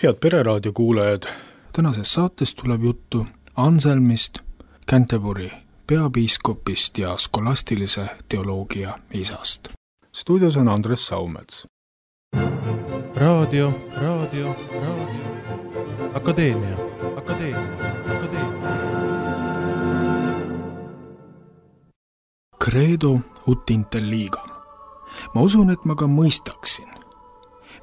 Head Pereraadio kuulajad, tänases saates tuleb juttu Anselmist, Canterbury peapiiskopist ja skolastilise teoloogia isast. Stuudios on Andres Saumets. Raadio. Akadeemia. Credo ut intelligam. Ma usun, et ma ka mõistaksin.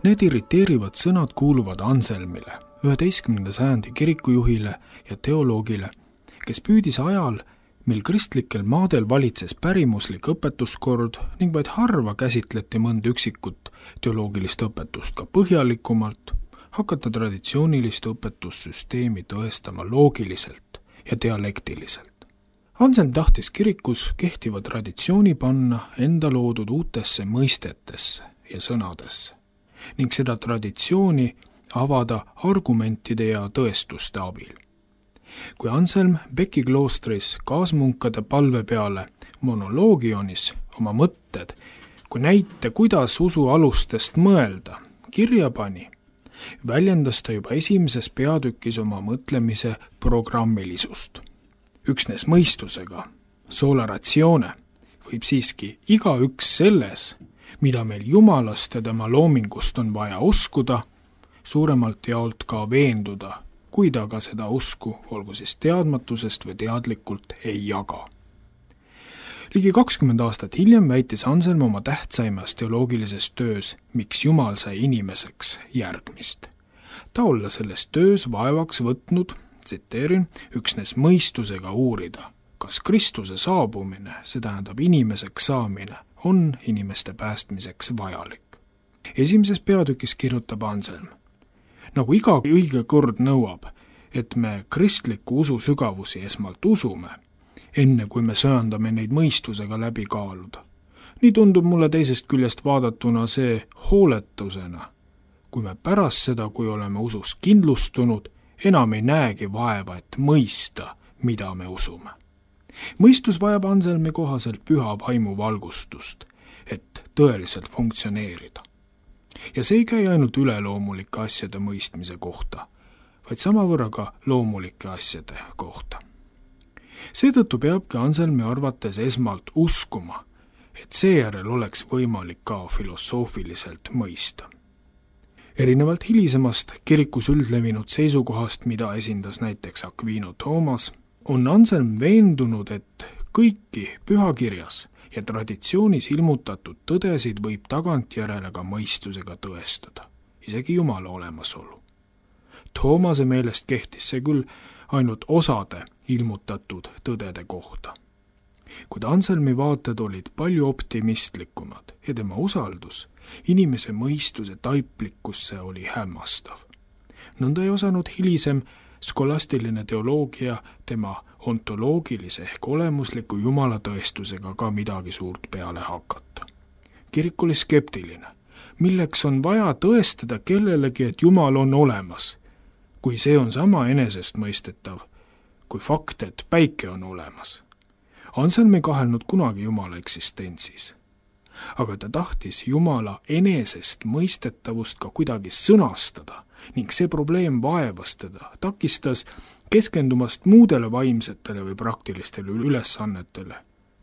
Need irriteerivad sõnad kuuluvad Anselmile, 11. sajandi kirikujuhile ja teoloogile, kes püüdis ajal, mil kristlikel maadel valitses pärimuslik õpetuskord ning vaid harva käsitleti mõnda üksikut teoloogilist õpetust ka põhjalikumalt, hakata traditsioonilist õpetussüsteemi tõestama loogiliselt ja dialektiliselt. Anselm tahtis kirikus kehtiva traditsiooni panna enda loodud uutesse mõistetesse ja sõnadesse ning seda traditsiooni avada argumentide ja tõestuste abil. Kui Anselm Becki kloostris kaasmunkade palve peale monoloogionis oma mõtted, kui näite, kuidas usu alustest mõelda, kirja pani, väljendas ta juba esimeses peatükis oma mõtlemise programmilisust. Üksnes mõistusega, sola ratione, võib siiski igaüks selles, mida meil Jumalast ja tema loomingust on vaja uskuda, suuremalt jaolt ka veenduda, kui ta ka seda usku, olgu siis teadmatusest või teadlikult, ei jaga. Ligi 20 aastat hiljem väitis Anselm oma tähtsaimas teoloogilises töös, miks Jumal sai inimeseks, järgmist. Ta olla selles töös vaevaks võtnud, tsiteerin, üksnes mõistusega uurida, kas Kristuse saabumine, see tähendab inimeseks saamine, on inimeste päästmiseks vajalik. Esimeses peatükis kirjutab Anselm, nagu iga õige kord nõuab, et me kristliku usu sügavusi esmalt usume, enne kui me söandame neid mõistusega läbi kaaluda. Nii tundub mulle teisest küljest vaadatuna see hooletusena, kui me pärast seda, kui oleme usus kindlustunud, enam ei näegi vaeva, et mõista, mida me usume. Mõistus vajab Anselmi kohaselt püha vaimu valgustust, et tõeliselt funktsioneerida. Ja see ei käi ainult üleloomulike asjade mõistmise kohta, vaid samavõrra ka loomulike asjade kohta. Seetõttu peabki Anselmi arvates esmalt uskuma, et seejärel oleks võimalik ka filosoofiliselt mõista. Erinevalt hilisemast kirikus üldlevinud seisukohast, mida esindas näiteks Aquino Thomas, on Anselm veendunud, et kõiki pühakirjas ja traditsioonis ilmutatud tõdesid võib tagantjärele ka mõistusega tõestada, isegi Jumala olemasolu. Thoomase meelest kehtis see küll ainult osade ilmutatud tõdede kohta. Kuid Anselmi vaated olid palju optimistlikumad ja tema usaldus inimese mõistuse taiplikkusse oli hämmastav. Nõnda ei osanud hilisem skolastiline teoloogia tema ontoloogilise ehk olemusliku jumalatõestusega ka midagi suurt peale hakata. Kirik oli skeptiline. Milleks on vaja tõestada kellelegi, et Jumal on olemas, kui see on sama enesestmõistetav, kui fakt, et päike on olemas. Anselm ei kahelnud kunagi Jumala eksistentsis, aga ta tahtis Jumala enesestmõistetavust ka kuidagi sõnastada ning see probleem vaevas teda, takistas keskendumast muudele vaimsetele või praktilistele ülesannetele,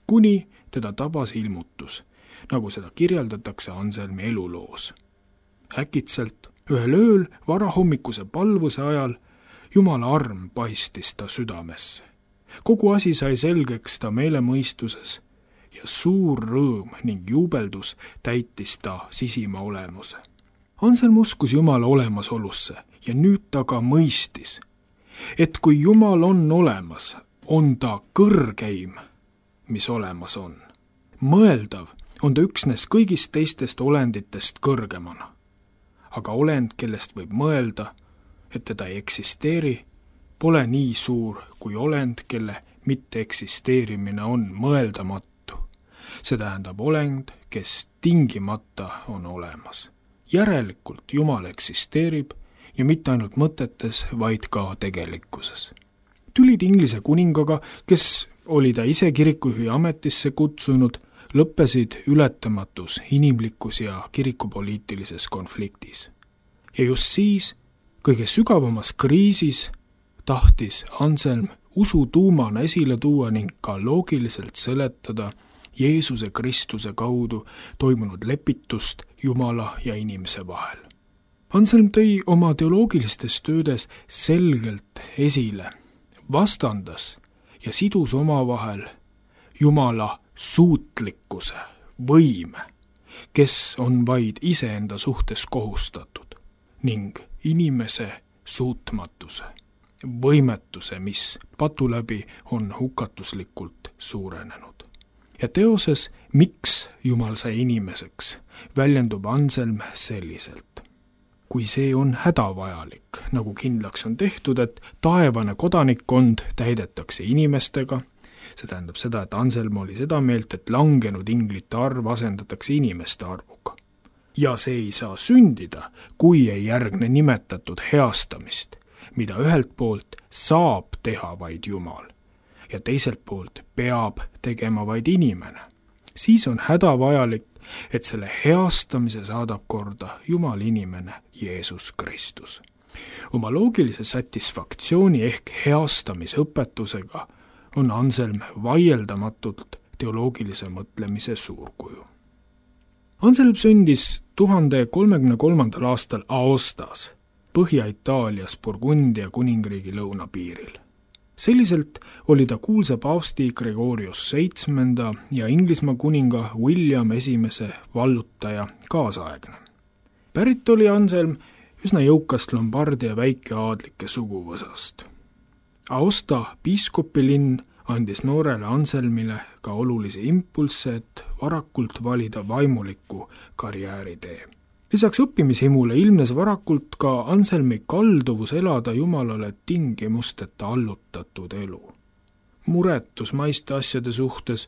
kuni teda tabas ilmutus, nagu seda kirjeldatakse Anselmi eluloos. Äkitselt, ühel ööl varahommikuse palvuse ajal, Jumala arm paistis ta südamesse. Kogu asi sai selgeks ta meelemõistuses ja suur rõõm ning juubeldus täitis ta sisima olemuse. Anselm uskus Jumala olemasolusse ja nüüd ta ka mõistis, et kui Jumal on olemas, on ta kõrgeim, mis olemas on. Mõeldav on ta üksnes kõigist teistest olenditest kõrgemana. Aga olend, kellest võib mõelda, et teda ei eksisteeri, pole nii suur kui olend, kelle mitteeksisteerimine on mõeldamatu. See tähendab olend, kes tingimata on olemas. Järelikult Jumal eksisteerib ja mitte ainult mõtetes, vaid ka tegelikkuses. Tülid Inglise kuningaga, kes oli ta ise kirikujuhi ametisse kutsunud, lõppesid ületamatus inimlikus ja kirikupoliitilises konfliktis. Ja just siis, kõige sügavamas kriisis tahtis Anselm usu tuumana esile tuua ning ka loogiliselt seletada Jeesuse Kristuse kaudu toimunud lepitust Jumala ja inimese vahel. Anselm tõi oma teoloogilistes töödes selgelt esile, vastandas ja sidus omavahel Jumala suutlikkuse, võime, kes on vaid iseenda suhtes kohustatud, ning inimese suutmatuse, võimetuse, mis patu läbi on hukatuslikult suurenenud. Ja teoses Miks Jumal sai inimeseks väljendub Anselm selliselt. Kui see on hädavajalik, nagu kindlaks on tehtud, et taevane kodanikkond täidetakse inimestega, see tähendab seda, et Anselm oli seda meelt, et langenud inglite arv asendatakse inimeste arvuga. Ja see ei saa sündida, kui ei järgne nimetatud heastamist, mida ühelt poolt saab teha vaid Jumal ja teiselt poolt peab tegema vaid inimene. Siis on hädavajalik, et selle heastamise saadab korda Jumal inimene Jeesus Kristus. Oma loogilise satisfaktsiooni ehk heastamise õpetusega on Anselm vaieldamatult teoloogilise mõtlemise suurkuju. Anselm sündis 1033. aastal Aostas, Põhja-Itaalias Burgundia kuningriigi lõunapiiril. Selliselt oli ta kuulsa paavsti Gregorius VII ja Inglismaa kuninga William I vallutaja kaasaegne. Pärit oli Anselm üsna jõukast Lombardia väikeaadlike suguvõsast. Aosta piiskopilinn andis noorele Anselmile ka olulisi impulsse, et varakult valida vaimuliku karjääritee. Lisaks õppimishimule ilmnes varakult ka Anselmi kalduvus elada Jumalale tingimusteta allutatud elu. Muretus maiste asjade suhtes,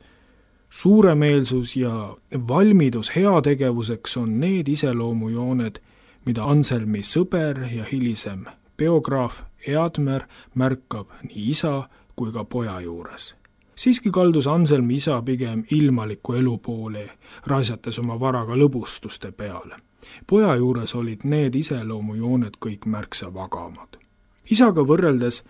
suuremeelsus ja valmidus heategevuseks on need iseloomujooned, mida Anselmi sõber ja hilisem biograaf Eadmer märkab nii isa kui ka poja juures. Siiski kaldus Anselmi isa pigem ilmaliku elu poole, raisates oma varaga lõbustuste peale. Poja juures olid need iseloomujooned kõik märksa vagamad. Isaga võrreldes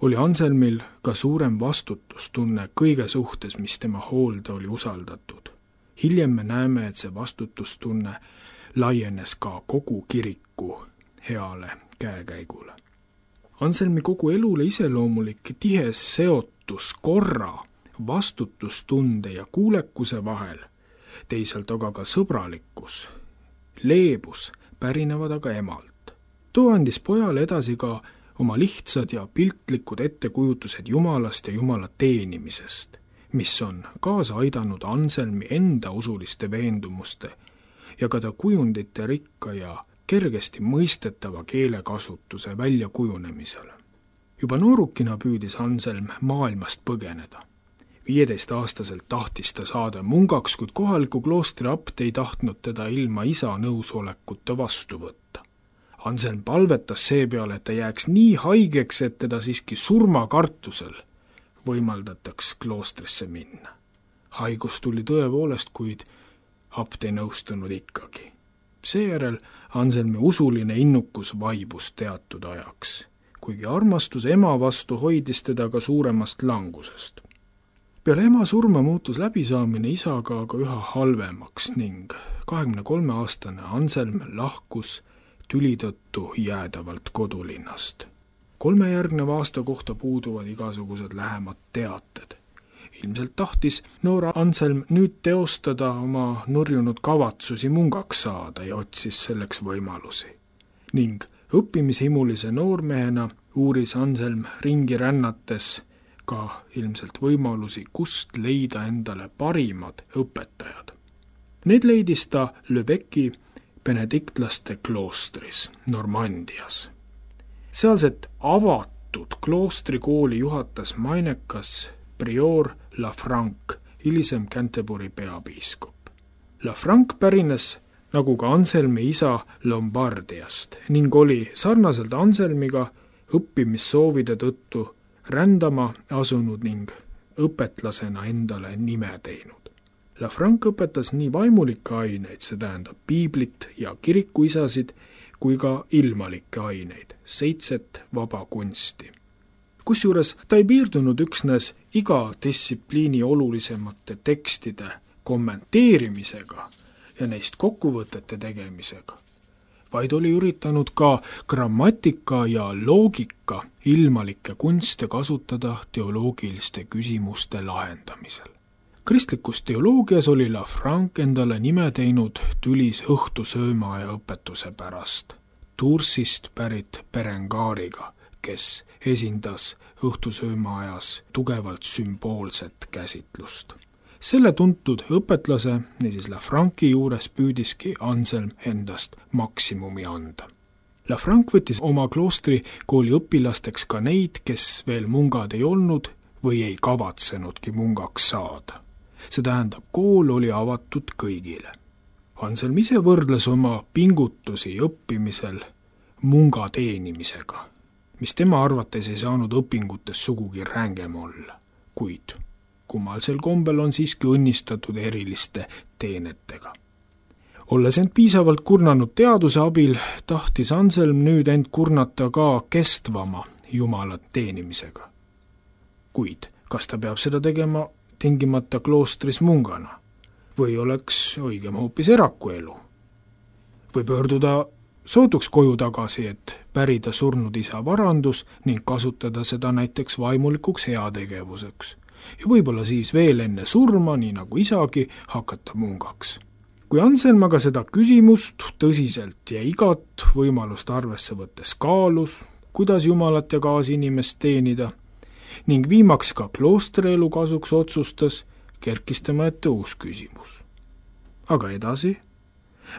oli Anselmil ka suurem vastutustunne kõige suhtes, mis tema hoolde oli usaldatud. Hiljem me näeme, et see vastutustunne laienes ka kogu kiriku heale käekäigule. Anselmi kogu elule iseloomulik tihe seotus korra, vastutustunde ja kuulekuse vahel, teisalt aga ka sõbralikkus, leebus pärinevad aga emalt. Too andis pojale edasi ka oma lihtsad ja piltlikud ettekujutused Jumalast ja Jumala teenimisest, mis on kaasa aidanud Anselmi enda usuliste veendumuste ja ka ta kujundite rikka ja kergesti mõistetava keelekasutuse väljakujunemisele. Juba noorukina püüdis Anselm maailmast põgeneda. 15-aastaselt tahtis ta saada mungaks, kuid kohaliku kloostri abt ei tahtnud teda ilma isa nõusolekuta vastu võtta. Anselm palvetas seepeale, et ta jääks nii haigeks, et teda siiski surmakartusel võimaldataks kloostrisse minna. Haigus tuli tõepoolest, kuid abt ei nõustunud ikkagi. Seejärel Anselmi usuline innukus vaibus teatud ajaks, kuigi armastus ema vastu hoidis teda ka suuremast langusest. Peale ema surma muutus läbisaamine isaga aga üha halvemaks ning 23-aastane Anselm lahkus tüli tõttu jäädavalt kodulinnast. 3 järgneva aasta kohta puuduvad igasugused lähemad teated. Ilmselt tahtis noor Anselm nüüd teostada oma nurjunud kavatsusi mungaks saada ja otsis selleks võimalusi. Ning õppimishimulise noormehena uuris Anselm ringi rännates ka ilmselt võimalusi, kust leida endale parimad õpetajad. Need leidis ta Lübecki benediktlaste kloostris Normandias. Sealset avatud kloostrikooli juhatas mainekas prior Lafranc, hilisem Canterbury peapiiskop. Lafranc pärines, nagu ka Anselmi isa, Lombardiast ning oli sarnaselt Anselmiga õppimissoovide tõttu rändama asunud ning õpetlasena endale nime teinud. Lafranc õpetas nii vaimulikke aineid, see tähendab piiblit ja kirikuisasid, kui ka ilmalikke aineid, 7 vaba kunsti. Kusjuures ta ei piirdunud üksnes iga distsipliini olulisemate tekstide kommenteerimisega ja neist kokkuvõtete tegemisega, vaid oli üritanud ka grammatika ja loogika ilmalikke kunste kasutada teoloogiliste küsimuste lahendamisel. Kristlikus teoloogias oli Lafranc endale nime teinud tülis õhtusöömaaja õpetuse pärast, Toursist pärit Berengaariga, kes esindas õhtusöömaajas tugevalt sümboolset käsitlust. Selle tuntud õpetlase, niisiis Lafranci juures püüdiski Anselm endast maksimumi anda. Lafranc võttis oma kloostri kooli õpilasteks ka neid, kes veel mungad ei olnud või ei kavatsenudki mungaks saada. See tähendab, kool oli avatud kõigile. Anselm ise võrdles oma pingutusi õppimisel munga teenimisega, mis tema arvates ei saanud õpingutes sugugi rängem olla, kuid kummalisel kombel on siiski õnnistatud eriliste teenetega. Olles end piisavalt kurnanud teaduse abil, tahtis Anselm nüüd end kurnata ka kestvama Jumalat teenimisega. Kuid kas ta peab seda tegema tingimata kloostris mungana või oleks õigem hoopis erakuelu? Või pöörduda sootuks koju tagasi, et pärida surnud isa varandus ning kasutada seda näiteks vaimulikuks heategevuseks ja võib-olla siis veel enne surma, nii nagu isagi, hakata mungaks. Kui Anselm aga seda küsimust tõsiselt ja igat võimalust arvesse võttes kaalus, kuidas Jumalat ja kaasinimest teenida, ning viimaks ka kloostrielu kasuks otsustas, kerkis tema ette uus küsimus. Aga edasi?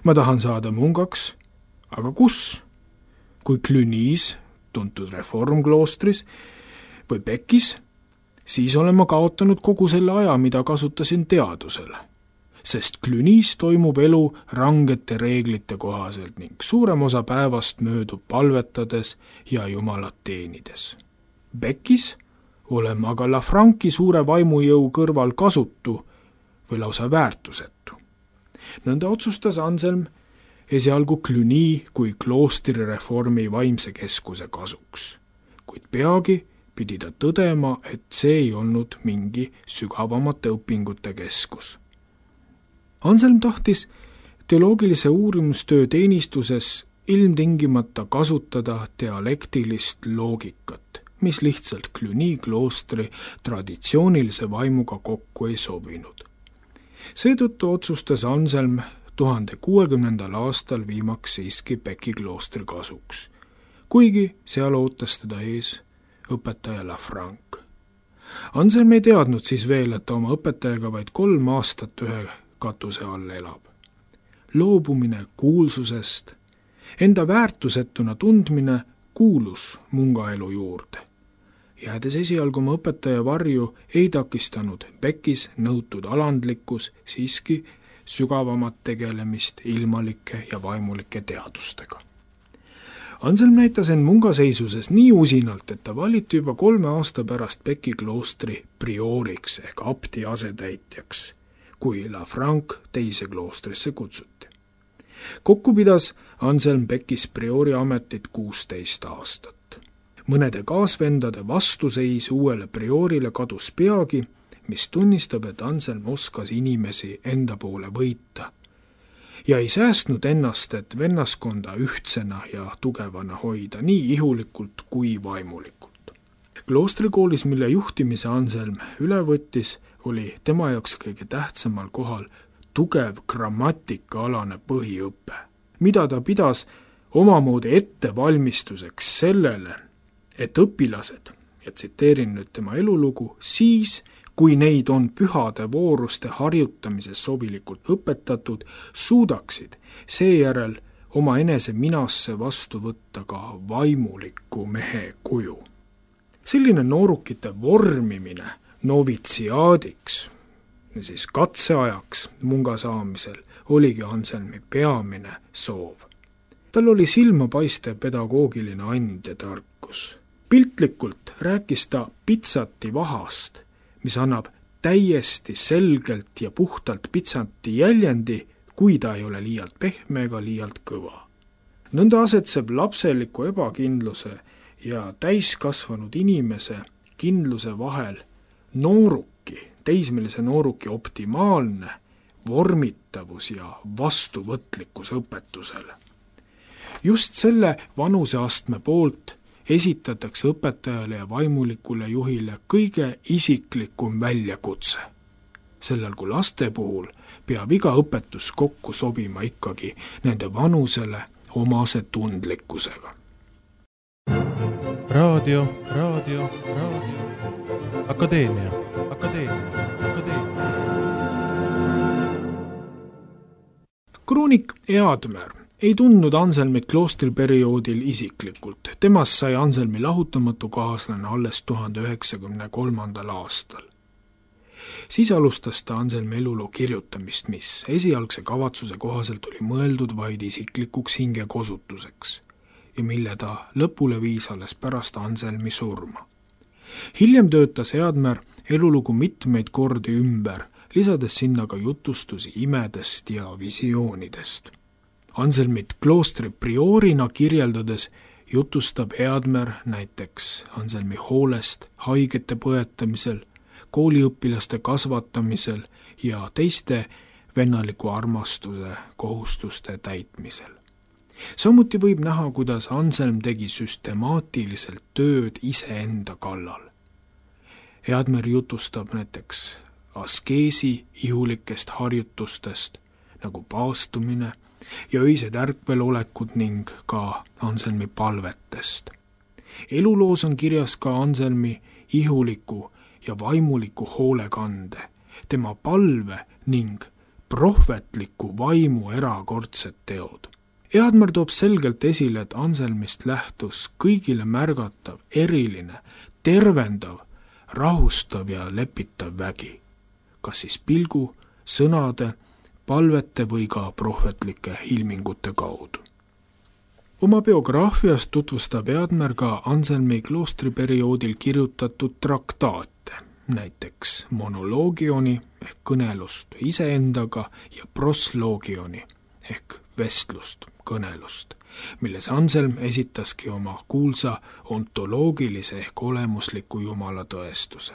Ma tahan saada mungaks, aga kus? Kui Clunys, tuntud reformkloostris, või Beckis, siis olen ma kaotanud kogu selle aja, mida kasutasin teadusele, sest Clunys toimub elu rangete reeglite kohaselt ning suurem osa päevast möödub palvetades ja Jumalat teenides. Beckis olen aga Lafranci suure vaimujõu kõrval kasutu või lausa väärtusetu. Nõnda otsustas Anselm esialgu Cluny kui kloostrireformi vaimse keskuse kasuks, kuid peagi pidi ta tõdema, et see ei olnud mingi sügavamate õpingute keskus. Anselm tahtis teoloogilise uurimustöö teenistuses ilmtingimata kasutada dialektilist loogikat, mis lihtsalt Cluny kloostri traditsioonilise vaimuga kokku ei sobinud. Seetõttu otsustas Anselm 1060. aastal viimaks siiski Becki kloostri kasuks, kuigi seal ootas teda ees õpetaja Lafranc. Anselm ei teadnud siis veel, et ta oma õpetajaga vaid 3 aastat ühe katuse all elab. Loobumine kuulsusest, enda väärtusetuna tundmine kuulus mungaelu juurde. Jäädes esialgu oma õpetaja varju, ei takistanud Beckis nõutud alandlikkus siiski sügavamat tegelemist ilmalike ja vaimulike teadustega. Anselm näitas end mungaseisuses nii usinalt, et ta valiti juba 3 aasta pärast Becki kloostri prioriks ehk abti asetäitjaks, kui Lafranc teise kloostrisse kutsuti. Kokku pidas Anselm Beckis priori ametit 16 aastat. Mõnede kaasvendade vastuseis uuele priorile kadus peagi, mis tunnistab, et Anselm oskas inimesi enda poole võita ja ei säästnud ennast, et vennaskonda ühtsena ja tugevana hoida, nii ihulikult kui vaimulikult. Kloostrikoolis, mille juhtimise Anselm üle võttis, oli tema jaoks kõige tähtsamal kohal tugev grammatikaalane põhiõpe, mida ta pidas omamoodi ettevalmistuseks sellele, et õpilased, ja tsiteerin nüüd tema elulugu, siis, kui neid on pühade vooruste harjutamises sobilikult õpetatud, suudaksid seejärel oma enese minasse vastu võtta ka vaimuliku mehe kuju. Selline noorukite vormimine novitsiaadiks, siis katseajaks munga saamisel, oligi Anselmi peamine soov. Tal oli silmapaistev pedagoogiline and ja tarkus. Piltlikult rääkis ta pitsati vahast, mis annab täiesti selgelt ja puhtalt pitsati jäljendi, kui ta ei ole liialt pehme ega liialt kõva. nõnda asetseb lapseliku ebakindluse ja täiskasvanud inimese kindluse vahel teismelise nooruki optimaalne vormitavus ja vastuvõtlikkus õpetusele. Just selle vanuseastme poolt esitatakse õpetajale ja vaimulikule juhile kõige isiklikum väljakutse. Sellel kui laste puhul peab iga õpetus kokku sobima ikkagi nende vanusele omase tundlikkusega. Raadio. Akadeemia. Kroonik Eadmer ei tundnud Anselmit kloostriperioodil isiklikult. Temast sai Anselmi lahutamatu kaaslane alles 1993. aastal. Siis alustas ta Anselmi eluloo kirjutamist, mis esialgse kavatsuse kohaselt oli mõeldud vaid isiklikuks hingekosutuseks ja mille ta lõpule viis alles pärast Anselmi surma. Hiljem töötas Eadmer elulugu mitmeid kordi ümber, lisades sinna ka jutustusi imedest ja visioonidest. Anselmit kloostri priorina kirjeldades jutustab Eadmer näiteks Anselmi hoolest haigete põetamisel, kooliõpilaste kasvatamisel ja teiste vennaliku armastuse kohustuste täitmisel. Samuti võib näha, kuidas Anselm tegi süstemaatiliselt tööd iseenda kallal. Eadmer jutustab näiteks askeesi ihulikest harjutustest nagu paastumine ja öised ärkvelolekud ning ka Anselmi palvetest. Eluloos on kirjas ka Anselmi ihuliku ja vaimuliku hoolekande, tema palve ning prohvetliku vaimu erakordsed teod. Eadmer toob selgelt esile, et Anselmist lähtus kõigile märgatav, eriline, tervendav, rahustav ja lepitav vägi, kas siis pilgu, sõnade, palvete või ka prohvetlike ilmingute kaudu. Oma biograafiast tutvustab Eadmer ka Anselmi kloostriperioodil kirjutatud traktaate, näiteks monoloogioni ehk kõnelust iseendaga ja prosloogioni ehk vestlust, kõnelust, milles Anselm esitaski oma kuulsa ontoloogilise ehk olemusliku jumala tõestuse.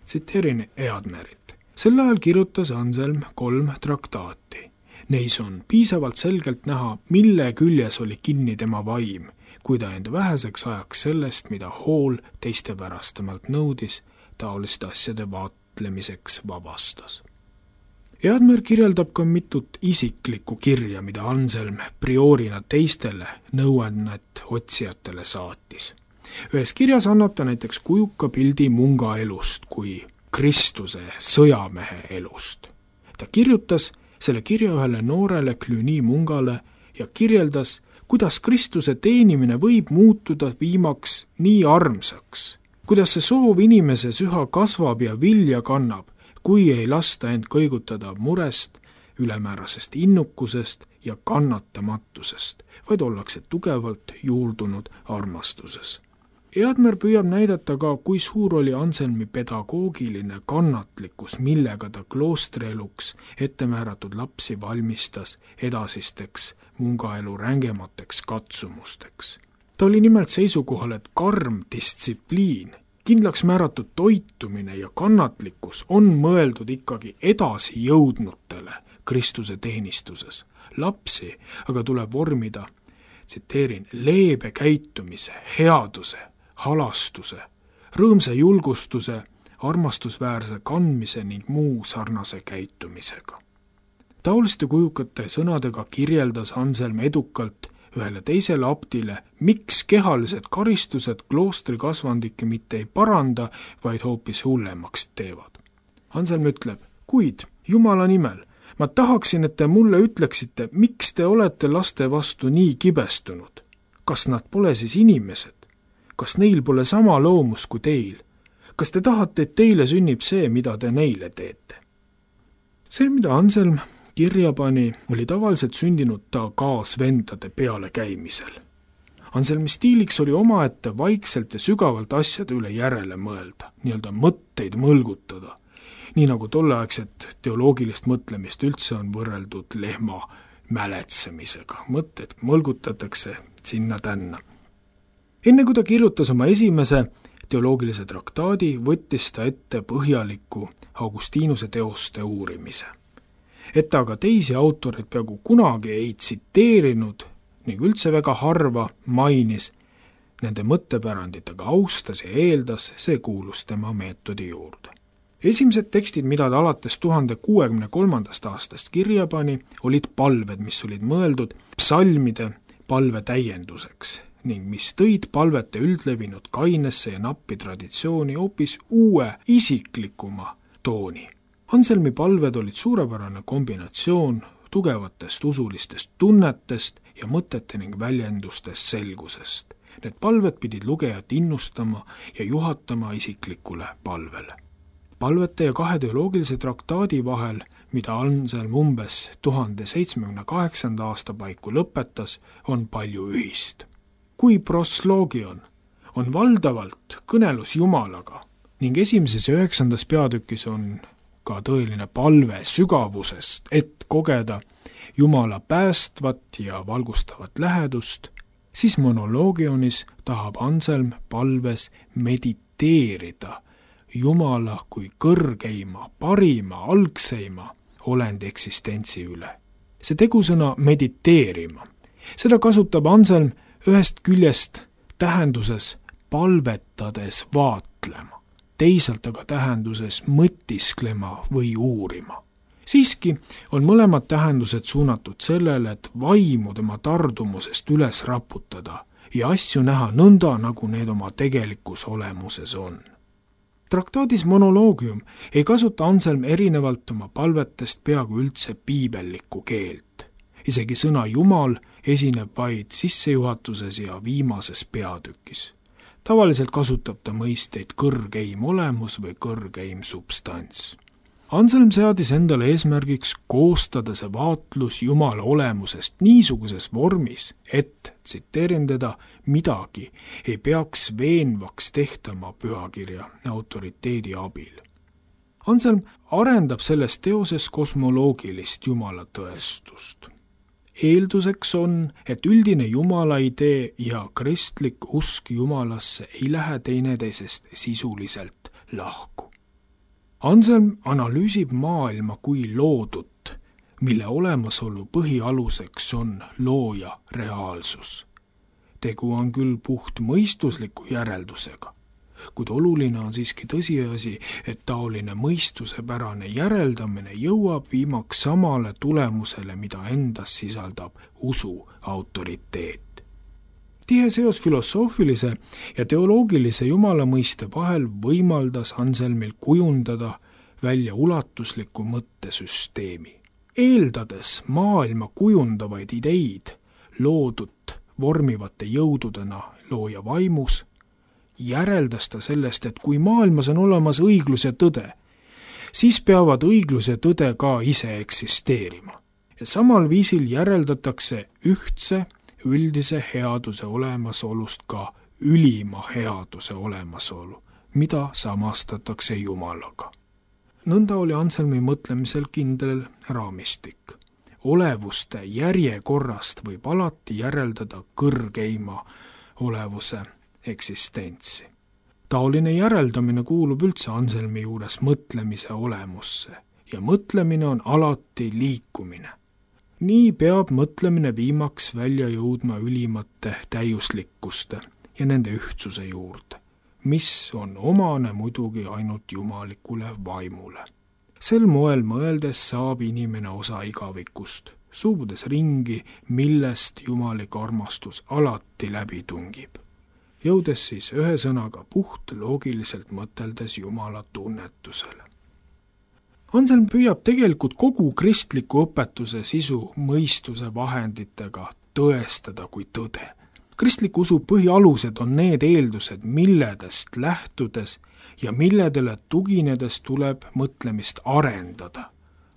Tsiteerin Eadmerit. Sel ajal kirjutas Anselm 3 traktaati. Neis on piisavalt selgelt näha, mille küljes oli kinni tema vaim, kui ta end väheseks ajaks sellest, mida hool teiste pärastamalt nõudis, taoliste asjade vaatlemiseks vabastas. Eadmer kirjeldab ka mitut isiklikku kirja, mida Anselm priorina teistele nõuannet otsijatele saatis. Ühes kirjas annab ta näiteks kujuka pildi munga elust kui Kristuse sõjamehe elust. Ta kirjutas selle kirja ühele noorele Cluny mungale ja kirjeldas, kuidas Kristuse teenimine võib muutuda viimaks nii armsaks, kuidas see soov inimeses üha kasvab ja vilja kannab, kui ei lasta end kõigutada murest, ülemäärasest innukusest ja kannatamatusest, vaid ollakse tugevalt juurdunud armastuses. Eadmer püüab näidata ka, kui suur oli Anselmi pedagoogiline kannatlikkus, millega ta kloostrieluks ettemääratud lapsi valmistas edasisteks mungaelu rängemateks katsumusteks. Ta oli nimelt seisukohal, et karm distsipliin, kindlaks määratud toitumine ja kannatlikkus on mõeldud ikkagi edasi jõudnutele Kristuse teenistuses. Lapsi aga tuleb vormida, tsiteerin, leebe käitumise, headuse, halastuse, rõõmsa julgustuse, armastusväärse kandmise ning muu sarnase käitumisega. Taoliste kujukate sõnadega kirjeldas Anselm edukalt ühele teisele abtile, miks kehalised karistused kloostri kasvandikke mitte ei paranda, vaid hoopis hullemaks teevad. Anselm ütleb, kuid Jumala nimel, ma tahaksin, et te mulle ütleksite, miks te olete laste vastu nii kibestunud. Kas nad pole siis inimesed? Kas neil pole sama loomus kui teil? Kas te tahate, et teile sünnib see, mida te neile teete? See, mida Anselm kirja pani, oli tavaliselt sündinud ta kaasvendade peale käimisel. Anselmi stiiliks oli omaette vaikselt ja sügavalt asjade üle järele mõelda, nii-öelda mõtteid mõlgutada, nii nagu tolleaegset teoloogilist mõtlemist üldse on võrreldud lehma mäletsemisega, mõtted mõlgutatakse sinna-tänna. Enne kui ta kirjutas oma esimese teoloogilise traktaadi, võttis ta ette põhjaliku Augustinuse teoste uurimise. Et ta aga teisi autoreid peaaegu kunagi ei tsiteerinud ning üldse väga harva mainis, nende mõttepärandit aga austas ja eeldas, see kuulus tema meetodi juurde. Esimesed tekstid, mida ta alates 1063. aastast kirja pani, olid palved, mis olid mõeldud psalmide palve täienduseks ning mis tõid palvete üldlevinud kainesse ja nappi traditsiooni hoopis uue isiklikuma tooni. Anselmi palved olid suurepärane kombinatsioon tugevatest usulistest tunnetest ja mõtete ning väljendustest selgusest. Need palved pidid lugejat innustama ja juhatama isiklikule palvele. Palvete ja 2 teoloogilise traktaadi vahel, mida Anselm umbes 1078. aasta paiku lõpetas, on palju ühist. Kui prosloogion on valdavalt kõnelus Jumalaga ning 1. ja 9. peatükis on ka tõeline palve sügavusest, et kogeda Jumala päästvat ja valgustavat lähedust, siis monoloogionis tahab Anselm palves mediteerida Jumala kui kõrgeima, parima, algseima olendi eksistentsi üle. See tegusõna mediteerima, seda kasutab Anselm ühest küljest tähenduses palvetades vaatlema, teisalt aga tähenduses mõtisklema või uurima. Siiski on mõlemad tähendused suunatud sellele, et vaimu tema tardumusest üles raputada ja asju näha nõnda, nagu need oma tegelikus olemuses on. Traktaadis Monoloogium ei kasuta Anselm erinevalt oma palvetest peaaegu üldse piibellikku keelt. Isegi sõna Jumal esineb vaid sissejuhatuses ja viimases peatükis. Tavaliselt kasutab ta mõisteid kõrgeim olemus või kõrgeim substants. Anselm seadis endale eesmärgiks koostada see vaatlus Jumala olemusest niisuguses vormis, et, tsiteerin teda, midagi ei peaks veenvaks tehtama pühakirja autoriteedi abil. Anselm arendab selles teoses kosmoloogilist Jumala tõestust. Eelduseks on, et üldine Jumala idee ja kristlik usk Jumalasse ei lähe teineteisest sisuliselt lahku. Anselm analüüsib maailma kui loodut, mille olemasolu põhialuseks on looja reaalsus. Tegu on küll puht mõistusliku järeldusega, kuid oluline on siiski tõsiasi, et taoline mõistusepärane järeldamine jõuab viimaks samale tulemusele, mida endas sisaldab usu autoriteet. Tihe seos filosoofilise ja teoloogilise Jumala mõiste vahel võimaldas Anselmil kujundada välja ulatusliku mõttesüsteemi. Eeldades maailma kujundavaid ideid loodut vormivate jõududena looja vaimus, järeldas ta sellest, et kui maailmas on olemas õiglus ja tõde, siis peavad õiglus ja tõde ka ise eksisteerima. Ja samal viisil järeldatakse ühtse üldise headuse olemasolust ka ülima headuse olemasolu, mida samastatakse Jumalaga. Nõnda oli Anselmi mõtlemisel kindel raamistik. Olevuste järjekorrast võib alati järeldada kõrgeima olevuse eksistentsi. Taoline järeldamine kuulub üldse Anselmi juures mõtlemise olemusse ja mõtlemine on alati liikumine. Nii peab mõtlemine viimaks välja jõudma ülimate täiuslikkuste ja nende ühtsuse juurde, mis on omane muidugi ainult jumalikule vaimule. Sel moel mõeldes saab inimene osa igavikust, suubudes ringi, millest jumalik armastus alati läbi tungib, jõudes siis ühe sõnaga puht loogiliselt mõteldes Jumala tunnetusele. Anselm püüab tegelikult kogu kristliku õpetuse sisu mõistuse vahenditega tõestada kui tõde. Kristliku usu põhialused on need eeldused, milledest lähtudes ja milledele tuginedes tuleb mõtlemist arendada,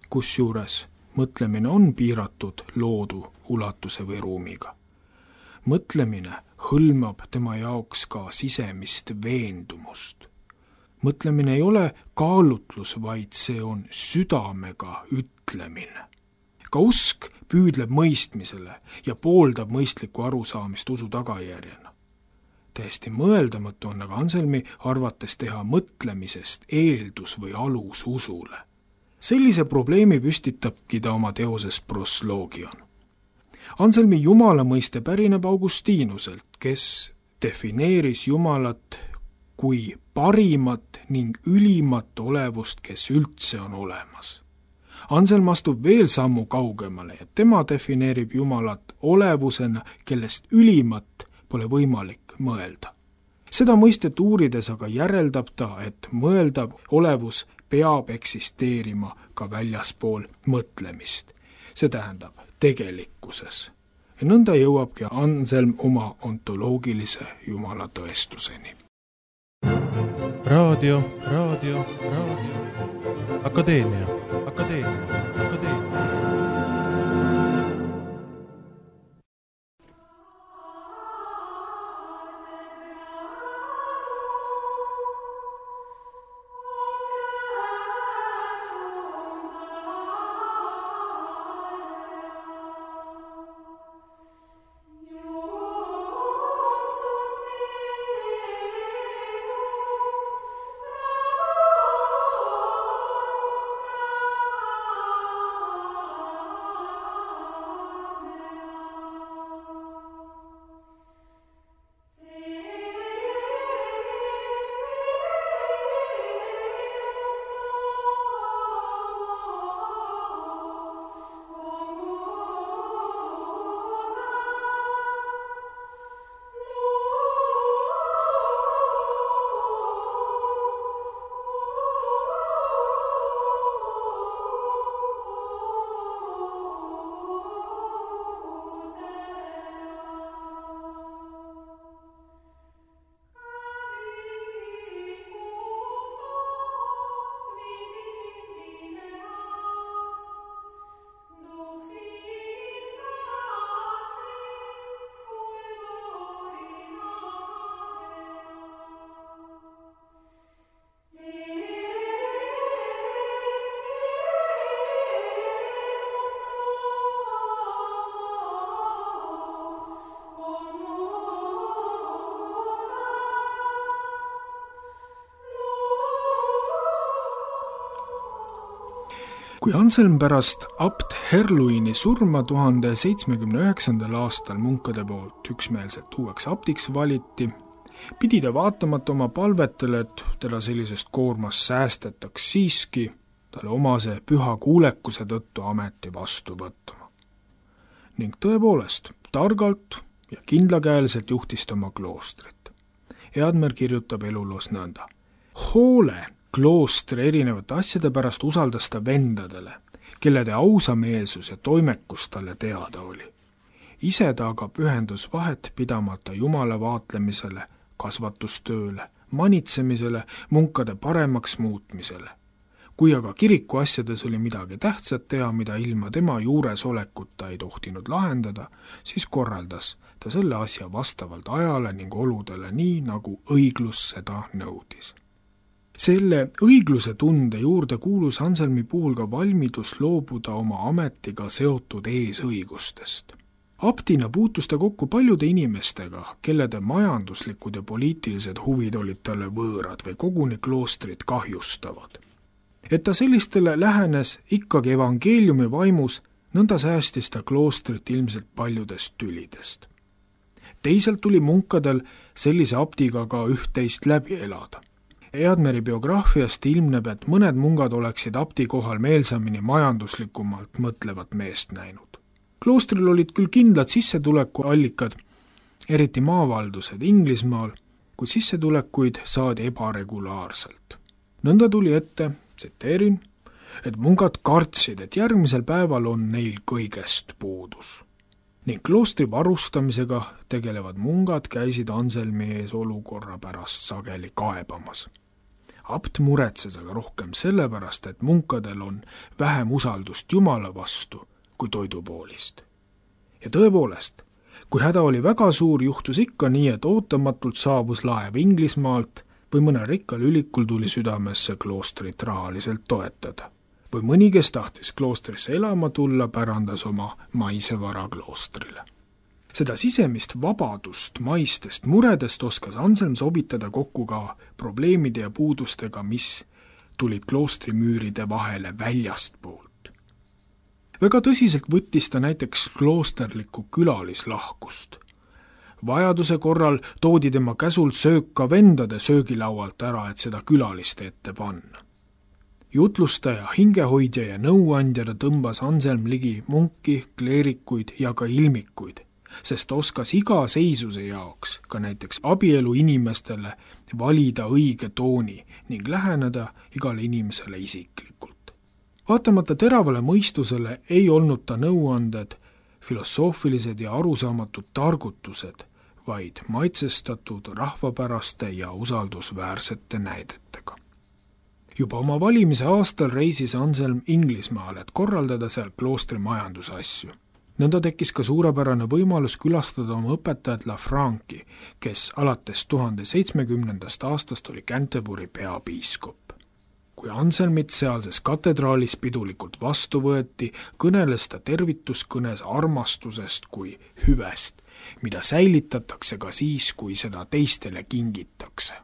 kusjuures mõtlemine on piiratud loodu ulatuse või ruumiga. Mõtlemine hõlmab tema jaoks ka sisemist veendumust. Mõtlemine ei ole kaalutlus, vaid see on südamega ütlemine. Ka usk püüdleb mõistmisele ja pooldab mõistlikku arusaamist usu tagajärjena. Täiesti mõeldamatu on aga Anselmi arvates teha mõtlemisest eeldus või alus usule. Sellise probleemi püstitabki ta oma teoses Proslogion. Anselmi jumala mõiste pärineb Augustiinuselt, kes defineeris jumalat kui parimat ning ülimat olevust, kes üldse on olemas. Anselm astub veel sammu kaugemale ja tema defineerib jumalat olevusena, kellest ülimat pole võimalik mõelda. Seda mõistet uurides aga järeldab ta, et mõeldav olevus peab eksisteerima ka väljaspool mõtlemist. See tähendab tegelikkuses. Ja nõnda jõuabki Anselm oma ontoloogilise jumala tõestuseni. Raadio. Akadeemia. Kui Anselm pärast abt Herluini surma 1079. aastal munkade poolt üksmeelselt uueks abtiks valiti, pidi ta vaatamata oma palvetele, et teda sellisest koormast säästetaks siiski talle omase püha kuulekuse tõttu ameti vastu võtma. Ning tõepoolest, targalt ja kindlakäeliselt juhtis ta oma kloostrit. Eadmer kirjutab eluloos nõnda. Hoole kloostri erinevate asjade pärast usaldas ta vendadele, kellede ausameelsus ja toimekus talle teada oli. Ise ta aga pühendus vahet pidamata jumala vaatlemisele, kasvatustööle, manitsemisele, munkade paremaks muutmisele. Kui aga kiriku asjades oli midagi tähtsat teha, mida ilma tema juuresolekuta ei tohtinud lahendada, siis korraldas ta selle asja vastavalt ajale ning oludele nii, nagu õiglus seda nõudis. Selle õigluse tunde juurde kuulus Anselmi puhul ka valmidus loobuda oma ametiga seotud eesõigustest. Abtina puutus ta kokku paljude inimestega, kellede majanduslikud ja poliitilised huvid olid talle võõrad või koguni kloostrit kahjustavad. Et ta sellistele lähenes ikkagi evangeeliumi vaimus, nõnda säästis ta kloostrit ilmselt paljudest tülidest. Teisalt tuli munkadel sellise abdiga ka üht-teist läbi elada. Eadmeri biograafiast ilmneb, et mõned mungad oleksid abdi kohal meelsamini majanduslikumalt mõtlevat meest näinud. Kloostril olid küll kindlad sissetulekuallikad, eriti maavaldused Inglismaal, kuid sissetulekuid saadi ebaregulaarselt. Nõnda tuli ette, tsiteerin, et mungad kartsid, et järgmisel päeval on neil kõigest puudus. Ning kloostri varustamisega tegelevad mungad käisid Anselmi ees olukorra pärast sageli kaebamas. Abt muretses aga rohkem sellepärast, et munkadel on vähem usaldust Jumala vastu kui toidupoolist. Ja tõepoolest, kui häda oli väga suur, juhtus ikka nii, et ootamatult saabus laev Inglismaalt või mõnel rikkal ülikul tuli südamesse kloostrit rahaliselt toetada. või mõni, kes tahtis kloostrisse elama tulla, pärandas oma maise vara kloostrile. Seda sisemist vabadust maistest muredest oskas Anselm sobitada kokku ka probleemide ja puudustega, mis tulid kloostrimüüride vahele väljastpoolt. Väga tõsiselt võttis ta näiteks kloosterlikku külalislahkust. Vajaduse korral toodi tema käsul söök ka vendade söögilaualt ära, et seda külaliste ette panna. Jutlustaja, hingehoidja ja nõuandjana tõmbas Anselm ligi munki, kleerikuid ja ka ilmikuid, sest oskas iga seisuse jaoks, ka näiteks abielu inimestele, valida õige tooni ning läheneda igale inimesele isiklikult. Vaatamata teravale mõistusele ei olnud ta nõuanded filosoofilised ja arusaamatud targutused, vaid maitsestatud rahvapäraste ja usaldusväärsete näidetega. Juba oma valimise aastal reisis Anselm Inglismaale, et korraldada seal kloostri majandusasju. Nõnda tekkis ka suurepärane võimalus külastada oma õpetajat Lafranci, kes alates 1070. aastast oli Canterbury peapiiskop. Kui Anselmit sealses katedraalis pidulikult vastu võeti, kõneles ta tervituskõnes armastusest kui hüvest, mida säilitatakse ka siis, kui seda teistele kingitakse.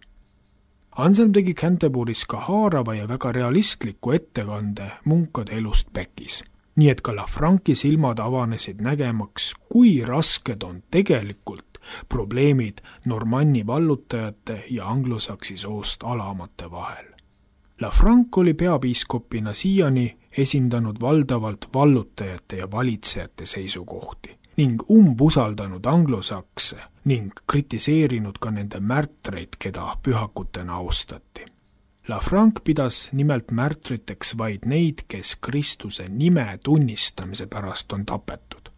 Anselm tegi Canterbury's ka haarava ja väga realistliku ettekande munkade elust Beckis, nii et ka Lafranci silmad avanesid nägemaks, kui rasked on tegelikult probleemid normanni vallutajate ja anglosaksi soost alamate vahel. Lafranc oli peapiiskopina siiani esindanud valdavalt vallutajate ja valitsejate seisukohti ning umbusaldanud anglosakse ning kritiseerinud ka nende märtreid, keda pühakutena austati. Lafranc pidas nimelt märtriteks vaid neid, kes Kristuse nime tunnistamise pärast on tapetud.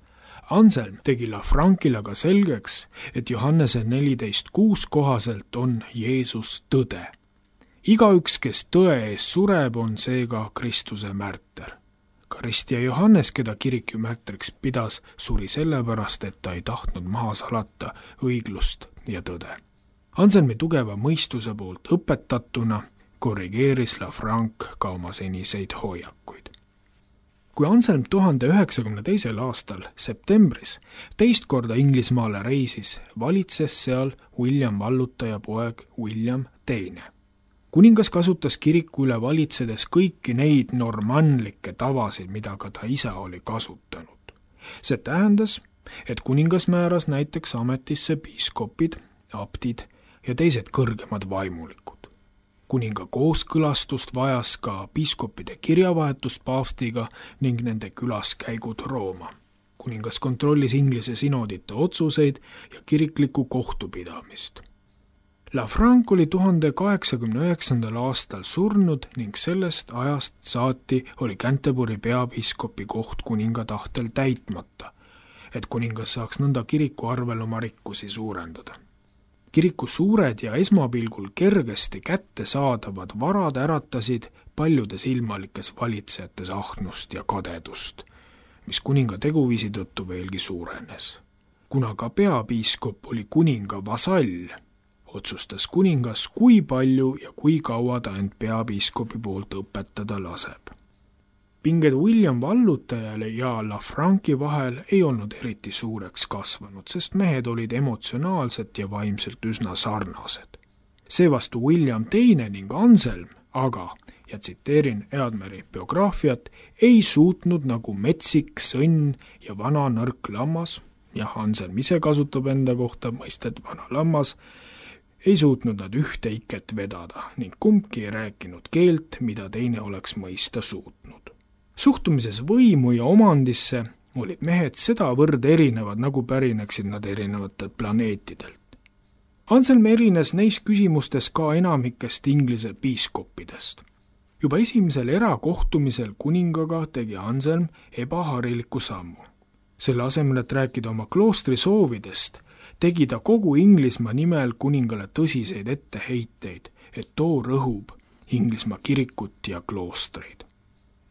Anselm tegi Lafrancile aga selgeks, et Johannese 14:6 kohaselt on Jeesus tõde. Igaüks, kes tõe ees sureb, on seega Kristuse märter. Ka Rist ja Johannes, keda kirik ju märtriks pidas, suri sellepärast, et ta ei tahtnud maha salata õiglust ja tõde. Anselmi tugeva mõistuse poolt õpetatuna korrigeeris Lafranc ka oma seniseid hoiakuid. Kui Anselm 1092. aastal septembris teist korda Inglismaale reisis, valitses seal William vallutaja poeg William II. Kuningas kasutas kiriku üle valitsedes kõiki neid normannlikke tavasid, mida ka ta isa oli kasutanud. See tähendas, et kuningas määras näiteks ametisse piiskopid, abdid ja teised kõrgemad vaimulikud. Kuninga kooskõlastust vajas ka piiskopide kirjavahetus paavstiga ning nende külaskäigud Rooma. Kuningas kontrollis Inglise sinodite otsuseid ja kiriklikku kohtupidamist. Lafranc oli 1089. aastal surnud ning sellest ajast saati oli Canterbury peapiiskopi koht kuninga tahtel täitmata, et kuningas saaks nõnda kiriku arvel oma rikkusi suurendada. Kiriku suured ja esmapilgul kergesti kätte saadavad varad äratasid paljudes ilmalikes valitsejates ahnust ja kadedust, mis kuninga teguviisi tõttu veelgi suurenes. Kuna ka peapiiskop oli kuninga vasall, otsustas kuningas, kui palju ja kui kaua ta end peapiiskopi poolt õpetada laseb. Pinged William vallutajale ja Lafranci vahel ei olnud eriti suureks kasvanud, sest mehed olid emotsionaalselt ja vaimselt üsna sarnased. Seevastu William II ning Anselm aga, ja tsiteerin Eadmeri biograafiat, ei suutnud nagu metsik sõnn ja vana nõrk lammas, jah, Anselm ise kasutab enda kohta mõistet vana lammas, ei suutnud nad ühte iket vedada ning kumbki ei rääkinud keelt, mida teine oleks mõista suutnud. Suhtumises võimu ja omandisse olid mehed sedavõrd erinevad, nagu pärineksid nad erinevatelt planeetidelt. Anselm erines neis küsimustes ka enamikest Inglise piiskoppidest. Juba esimesel erakohtumisel kuningaga tegi Anselm ebahariliku sammu. Selle asemel, et rääkida oma kloostri soovidest, tegi ta kogu Inglismaa nimel kuningale tõsiseid etteheiteid, et too rõhub Inglismaa kirikut ja kloostreid.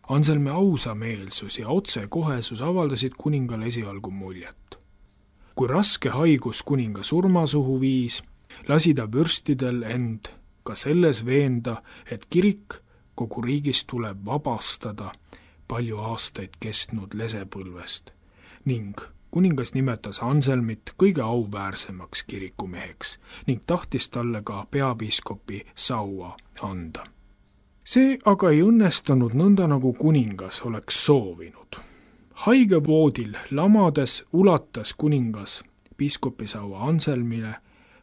Anselmi ausameelsus ja otsekohesus avaldasid kuningale esialgu muljet. Kui raske haigus kuninga surmasuhu viis, lasi ta vürstidel end ka selles veenda, et kirik kogu riigis tuleb vabastada palju aastaid kestnud lesepõlvest ning kuningas nimetas Anselmit kõige auväärsemaks kirikumeheks ning tahtis talle ka peapiiskopi saua anda. See aga ei õnnestunud nõnda, nagu kuningas oleks soovinud. Haigevoodil lamades ulatas kuningas piiskopisaua Anselmile,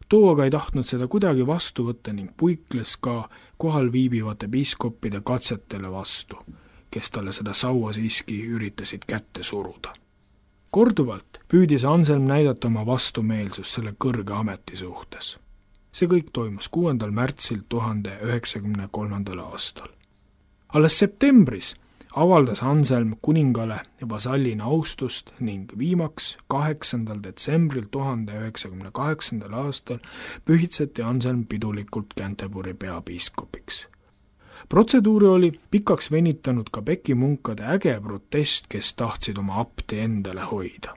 too aga ei tahtnud seda kuidagi vastu võtta ning puikles ka kohal viibivate piiskopide katsetele vastu, kes talle seda saua siiski üritasid kätte suruda. Korduvalt püüdis Anselm näidata oma vastumeelsust selle kõrge ameti suhtes. See kõik toimus 6. märtsil 1093. aastal. Alles septembris avaldas Anselm kuningale vasallina austust ning viimaks 8. detsembril 1098. aastal pühitseti Anselm pidulikult Canterbury peapiiskopiks. Protseduuri oli pikaks venitanud ka Beki munkade äge protest, kes tahtsid oma apti endale hoida.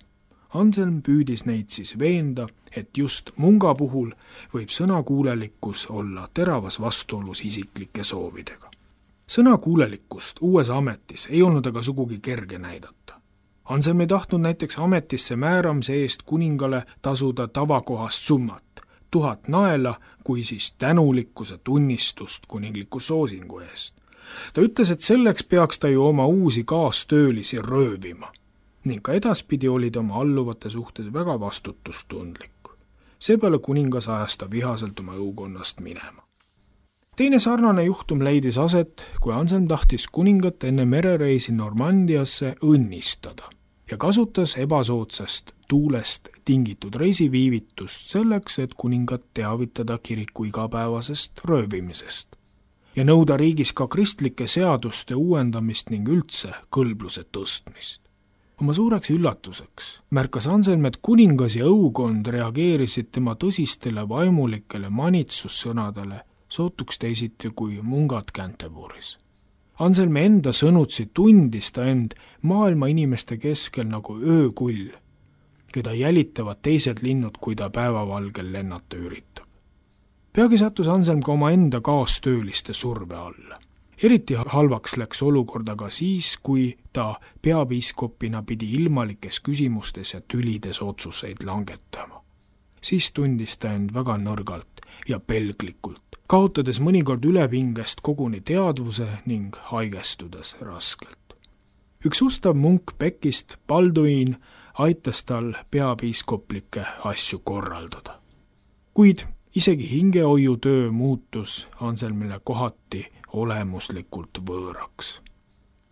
Anselm püüdis neid siis veenda, et just munga puhul võib sõnakuulelikkus olla teravas vastuolus isiklike soovidega. Sõnakuulelikkust uues ametis ei olnud aga sugugi kerge näidata. Anselm ei tahtnud näiteks ametisse määramise eest kuningale tasuda tavakohast summat, 1000 naela, kui siis tänulikkuse tunnistust kuningliku soosingu eest. Ta ütles, et selleks peaks ta ju oma uusi kaastöölisi röövima ning ka edaspidi oli ta oma alluvate suhtes väga vastutustundlik. Seepeale kuningas ajas ta vihaselt oma õukonnast minema. Teine sarnane juhtum leidis aset, kui Anselm tahtis kuningat enne merereisi Normandiasse õnnistada ja kasutas ebasoodsast tuulest tingitud reisiviivitust selleks, et kuningat teavitada kiriku igapäevasest röövimisest ja nõuda riigis ka kristlike seaduste uuendamist ning üldse kõlbluse tõstmist. Oma suureks üllatuseks märkas Anselm, et kuningas ja õukond reageerisid tema tõsistele vaimulikele manitsussõnadele sootuks teisiti kui mungad Canterbury's. Anselmi enda sõnutsi tundis ta end maailma inimeste keskel nagu öökull, keda jälitavad teised linnud, kui ta päevavalgel lennata üritab. Peagi sattus Anselm ka oma enda kaastööliste surve alla. Eriti halvaks läks olukord aga siis, kui ta peapiiskopina pidi ilmalikes küsimustes ja tülides otsuseid langetama. Siis tundis ta end väga nõrgalt ja pelglikult, kaotades mõnikord ülepingest koguni teadvuse ning haigestudes raskelt. Üks ustav munk Bekist, Balduin, aitas tal peapiiskoplikke asju korraldada. Kuid isegi hingehoiutöö muutus Anselmile kohati olemuslikult võõraks.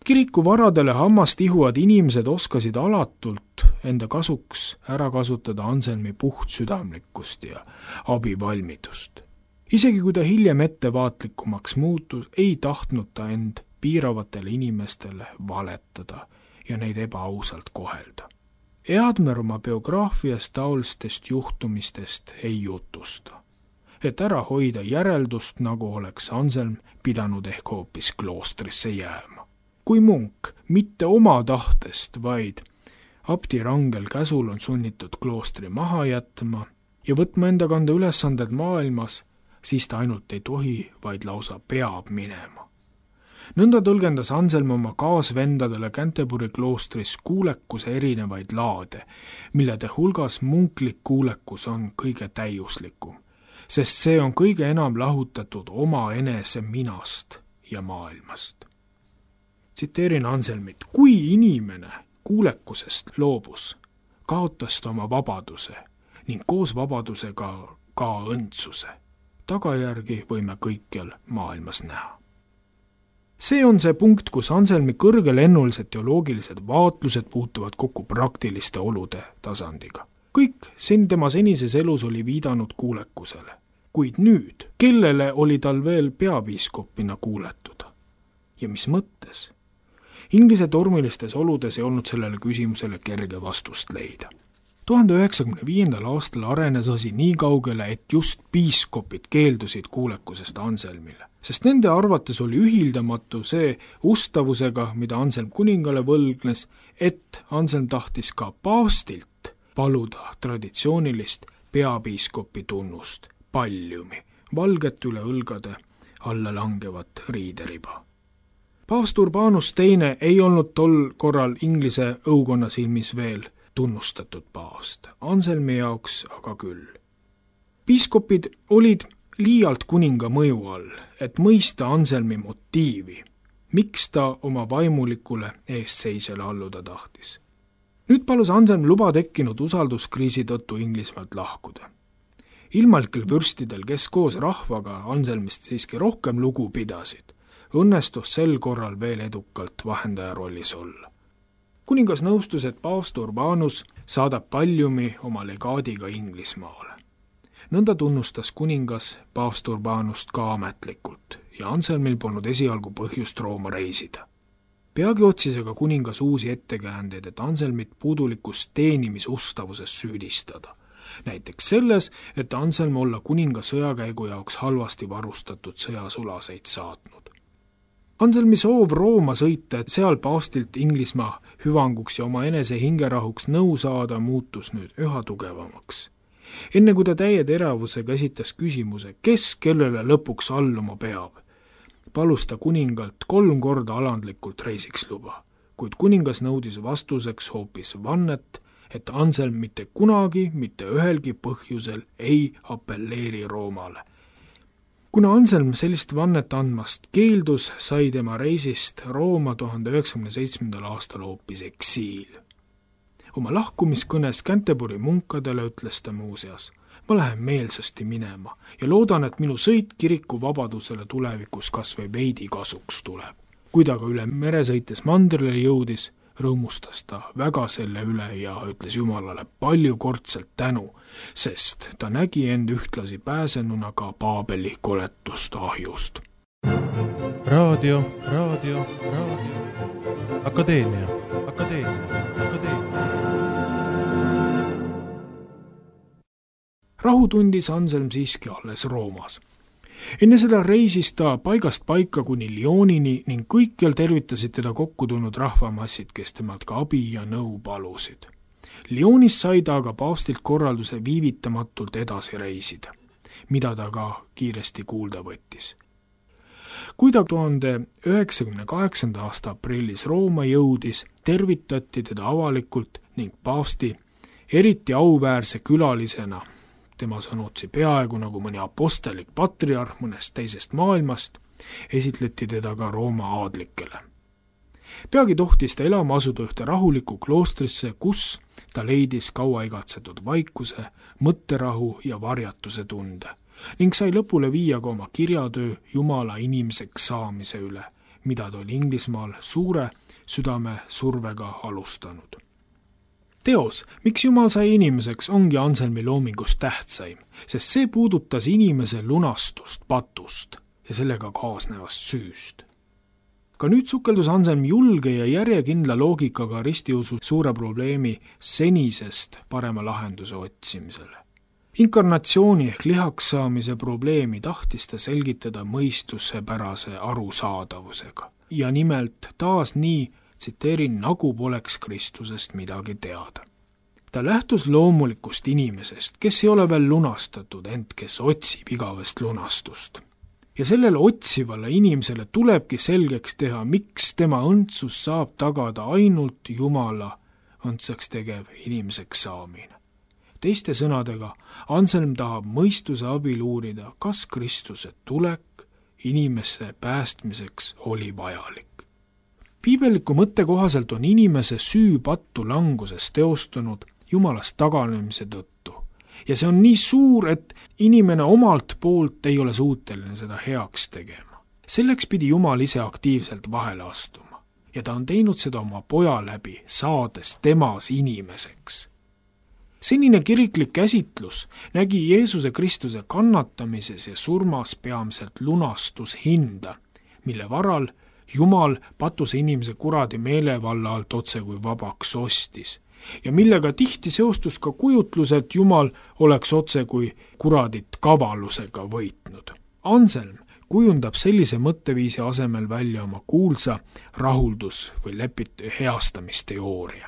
Kiriku varadele hammast ihuvad inimesed oskasid alatult enda kasuks ära kasutada Anselmi puhtsüdamlikkust ja abivalmidust. Isegi kui ta hiljem ettevaatlikumaks muutus, ei tahtnud ta end piiravatele inimestele valetada ja neid ebaausalt kohelda. Eadmer oma biograafias taolistest juhtumistest ei jutusta, et ära hoida järeldust, nagu oleks Anselm pidanud ehk hoopis kloostrisse jääma. Kui munk mitte oma tahtest, vaid abdi rangel käsul on sunnitud kloostri maha jätma ja võtma enda kanda ülesanded maailmas, siis ta ainult ei tohi, vaid lausa peab minema. Nõnda tõlgendas Anselm oma kaasvendadele Canterbury kloostris kuulekuse erinevaid laade, millede hulgas munklik kuulekus on kõige täiuslikum, sest see on kõige enam lahutatud oma enese minast ja maailmast. Tsiteerin Anselmit: kui inimene kuulekusest loobus, kaotas ta oma vabaduse ning koos vabadusega ka õndsuse. Tagajärgi võime kõikjal maailmas näha. See on see punkt, kus Anselmi kõrgelennulised teoloogilised vaatlused puutuvad kokku praktiliste olude tasandiga. Kõik tema senises elus oli viidanud kuulekusele, kuid nüüd, kellele oli tal veel peapiiskopina kuuletuda? Ja mis mõttes? Inglise tormilistes oludes ei olnud sellele küsimusele kerge vastust leida. 1095. aastal arenes asi nii kaugele, et just piiskopid keeldusid kuulekusest Anselmile, sest nende arvates oli ühildamatu see ustavusega, mida Anselm kuningale võlgnes, et Anselm tahtis ka paavstilt paluda traditsioonilist peapiiskopi tunnust, palliumi, valget üle õlgade alla langevat riideriba. Paavst Urbanus II ei olnud tol korral Inglise õukonna silmis veel tunnustatud paavst, Anselmi jaoks aga küll. Piiskopid olid liialt kuninga mõju all, et mõista Anselmi motiivi, miks ta oma vaimulikule eestseisjale alluda tahtis. Nüüd palus Anselm luba tekkinud usalduskriisi tõttu Inglismaalt lahkuda. Ilmalikel vürstidel, kes koos rahvaga Anselmist siiski rohkem lugu pidasid, õnnestus sel korral veel edukalt vahendaja rollis olla. Kuningas nõustus, et paavst Urbanus saadab palliumi oma legaadiga Inglismaale. Nõnda tunnustas kuningas paavst Urbanust ka ametlikult ja Anselmil polnud esialgu põhjust Rooma reisida. Peagi otsis aga kuningas uusi ettekäändeid, et Anselmit puudulikus teenimisustavuses süüdistada. Näiteks selles, et Anselm olla kuninga sõjakäigu jaoks halvasti varustatud sõjasulaseid saatnud. Anselmi soov Rooma sõita, et seal paavstilt Inglismaa hüvanguks ja oma enese hingerahuks nõu saada, muutus nüüd üha tugevamaks. Enne kui ta täie teravusega esitas küsimuse, kes kellele lõpuks alluma peab, palus ta kuningalt 3 korda alandlikult reisiks luba, kuid kuningas nõudis vastuseks hoopis vannet, et Anselm mitte kunagi, mitte ühelgi põhjusel ei apelleeri Roomale. Kuna Anselm sellist vannet andmast keeldus, sai tema reisist Rooma 1997. aastal hoopis eksiil. Oma lahkumiskõnes Canterbury munkadele ütles ta muuseas: ma lähen meelsasti minema ja loodan, et minu sõit kiriku vabadusele tulevikus kas või veidi kasuks tuleb. Kui ta ka üle mere sõites mandrile jõudis, rõõmustas ta väga selle üle ja ütles Jumalale paljukordselt tänu, sest ta nägi end ühtlasi pääsenuna ka Paabeli koletust ahjust. Raadio. Akadeemia. Rahu tundis Anselm siiski alles Roomas. Enne seda reisis ta paigast paika kuni Lyonini ning kõikjal tervitasid teda kokku tulnud rahvamassid, kes temalt ka abi ja nõu palusid. Lyonis sai ta aga paavstilt korralduse viivitamatult edasi reisida, mida ta ka kiiresti kuulda võttis. Kui ta 1998. aasta aprillis Rooma jõudis, tervitati teda avalikult ning paavsti eriti auväärse külalisena, tema sõnutsi peaaegu nagu mõni apostelik patriarh mõnest teisest maailmast, esitleti teda ka Rooma aadlikele. Peagi tohtis ta elama asuda ühte rahulikku kloostrisse, kus ta leidis kaua igatsetud vaikuse, mõtterahu ja varjatuse tunde ning sai lõpule viia ka oma kirjatöö Jumala inimeseks saamise üle, mida ta oli Inglismaal suure südame survega alustanud. Teos, miks Jumal sai inimeseks, ongi Anselmi loomingus tähtsaim, sest see puudutas inimese lunastust patust ja sellega kaasnevast süüst. Ka nüüd sukeldus Anselm julge ja järjekindla loogikaga ristiusu suure probleemi senisest parema lahenduse otsimisele. Inkarnatsiooni ehk lihaks saamise probleemi tahtis ta selgitada mõistusepärase arusaadavusega. Ja nimelt taas nii, tsiteerin, nagu poleks Kristusest midagi teada. Ta lähtus loomulikust inimesest, kes ei ole veel lunastatud, ent kes otsib igavest lunastust. Ja sellele otsivale inimesele tulebki selgeks teha, miks tema õndsus saab tagada ainult Jumala õndsaks tegev inimeseks saamine. Teiste sõnadega, Anselm tahab mõistuse abil uurida, kas Kristuse tulek inimese päästmiseks oli vajalik. Piibelliku mõtte kohaselt on inimese süü pattu languses teostunud Jumalast taganemise tõttu. Ja see on nii suur, et inimene omalt poolt ei ole suuteline seda heaks tegema. Selleks pidi Jumal ise aktiivselt vahele astuma ja ta on teinud seda oma poja läbi, saades temas inimeseks. Senine kiriklik käsitlus nägi Jeesuse Kristuse kannatamises ja surmas peamiselt lunastushinda, mille varal Jumal patuse inimese kuradi meelevalla alt otse kui vabaks ostis ja millega tihti seostus ka kujutlus, et Jumal oleks otse kui kuradit kavalusega võitnud. Anselm kujundab sellise mõtteviisi asemel välja oma kuulsa rahuldus- või heastamisteooria.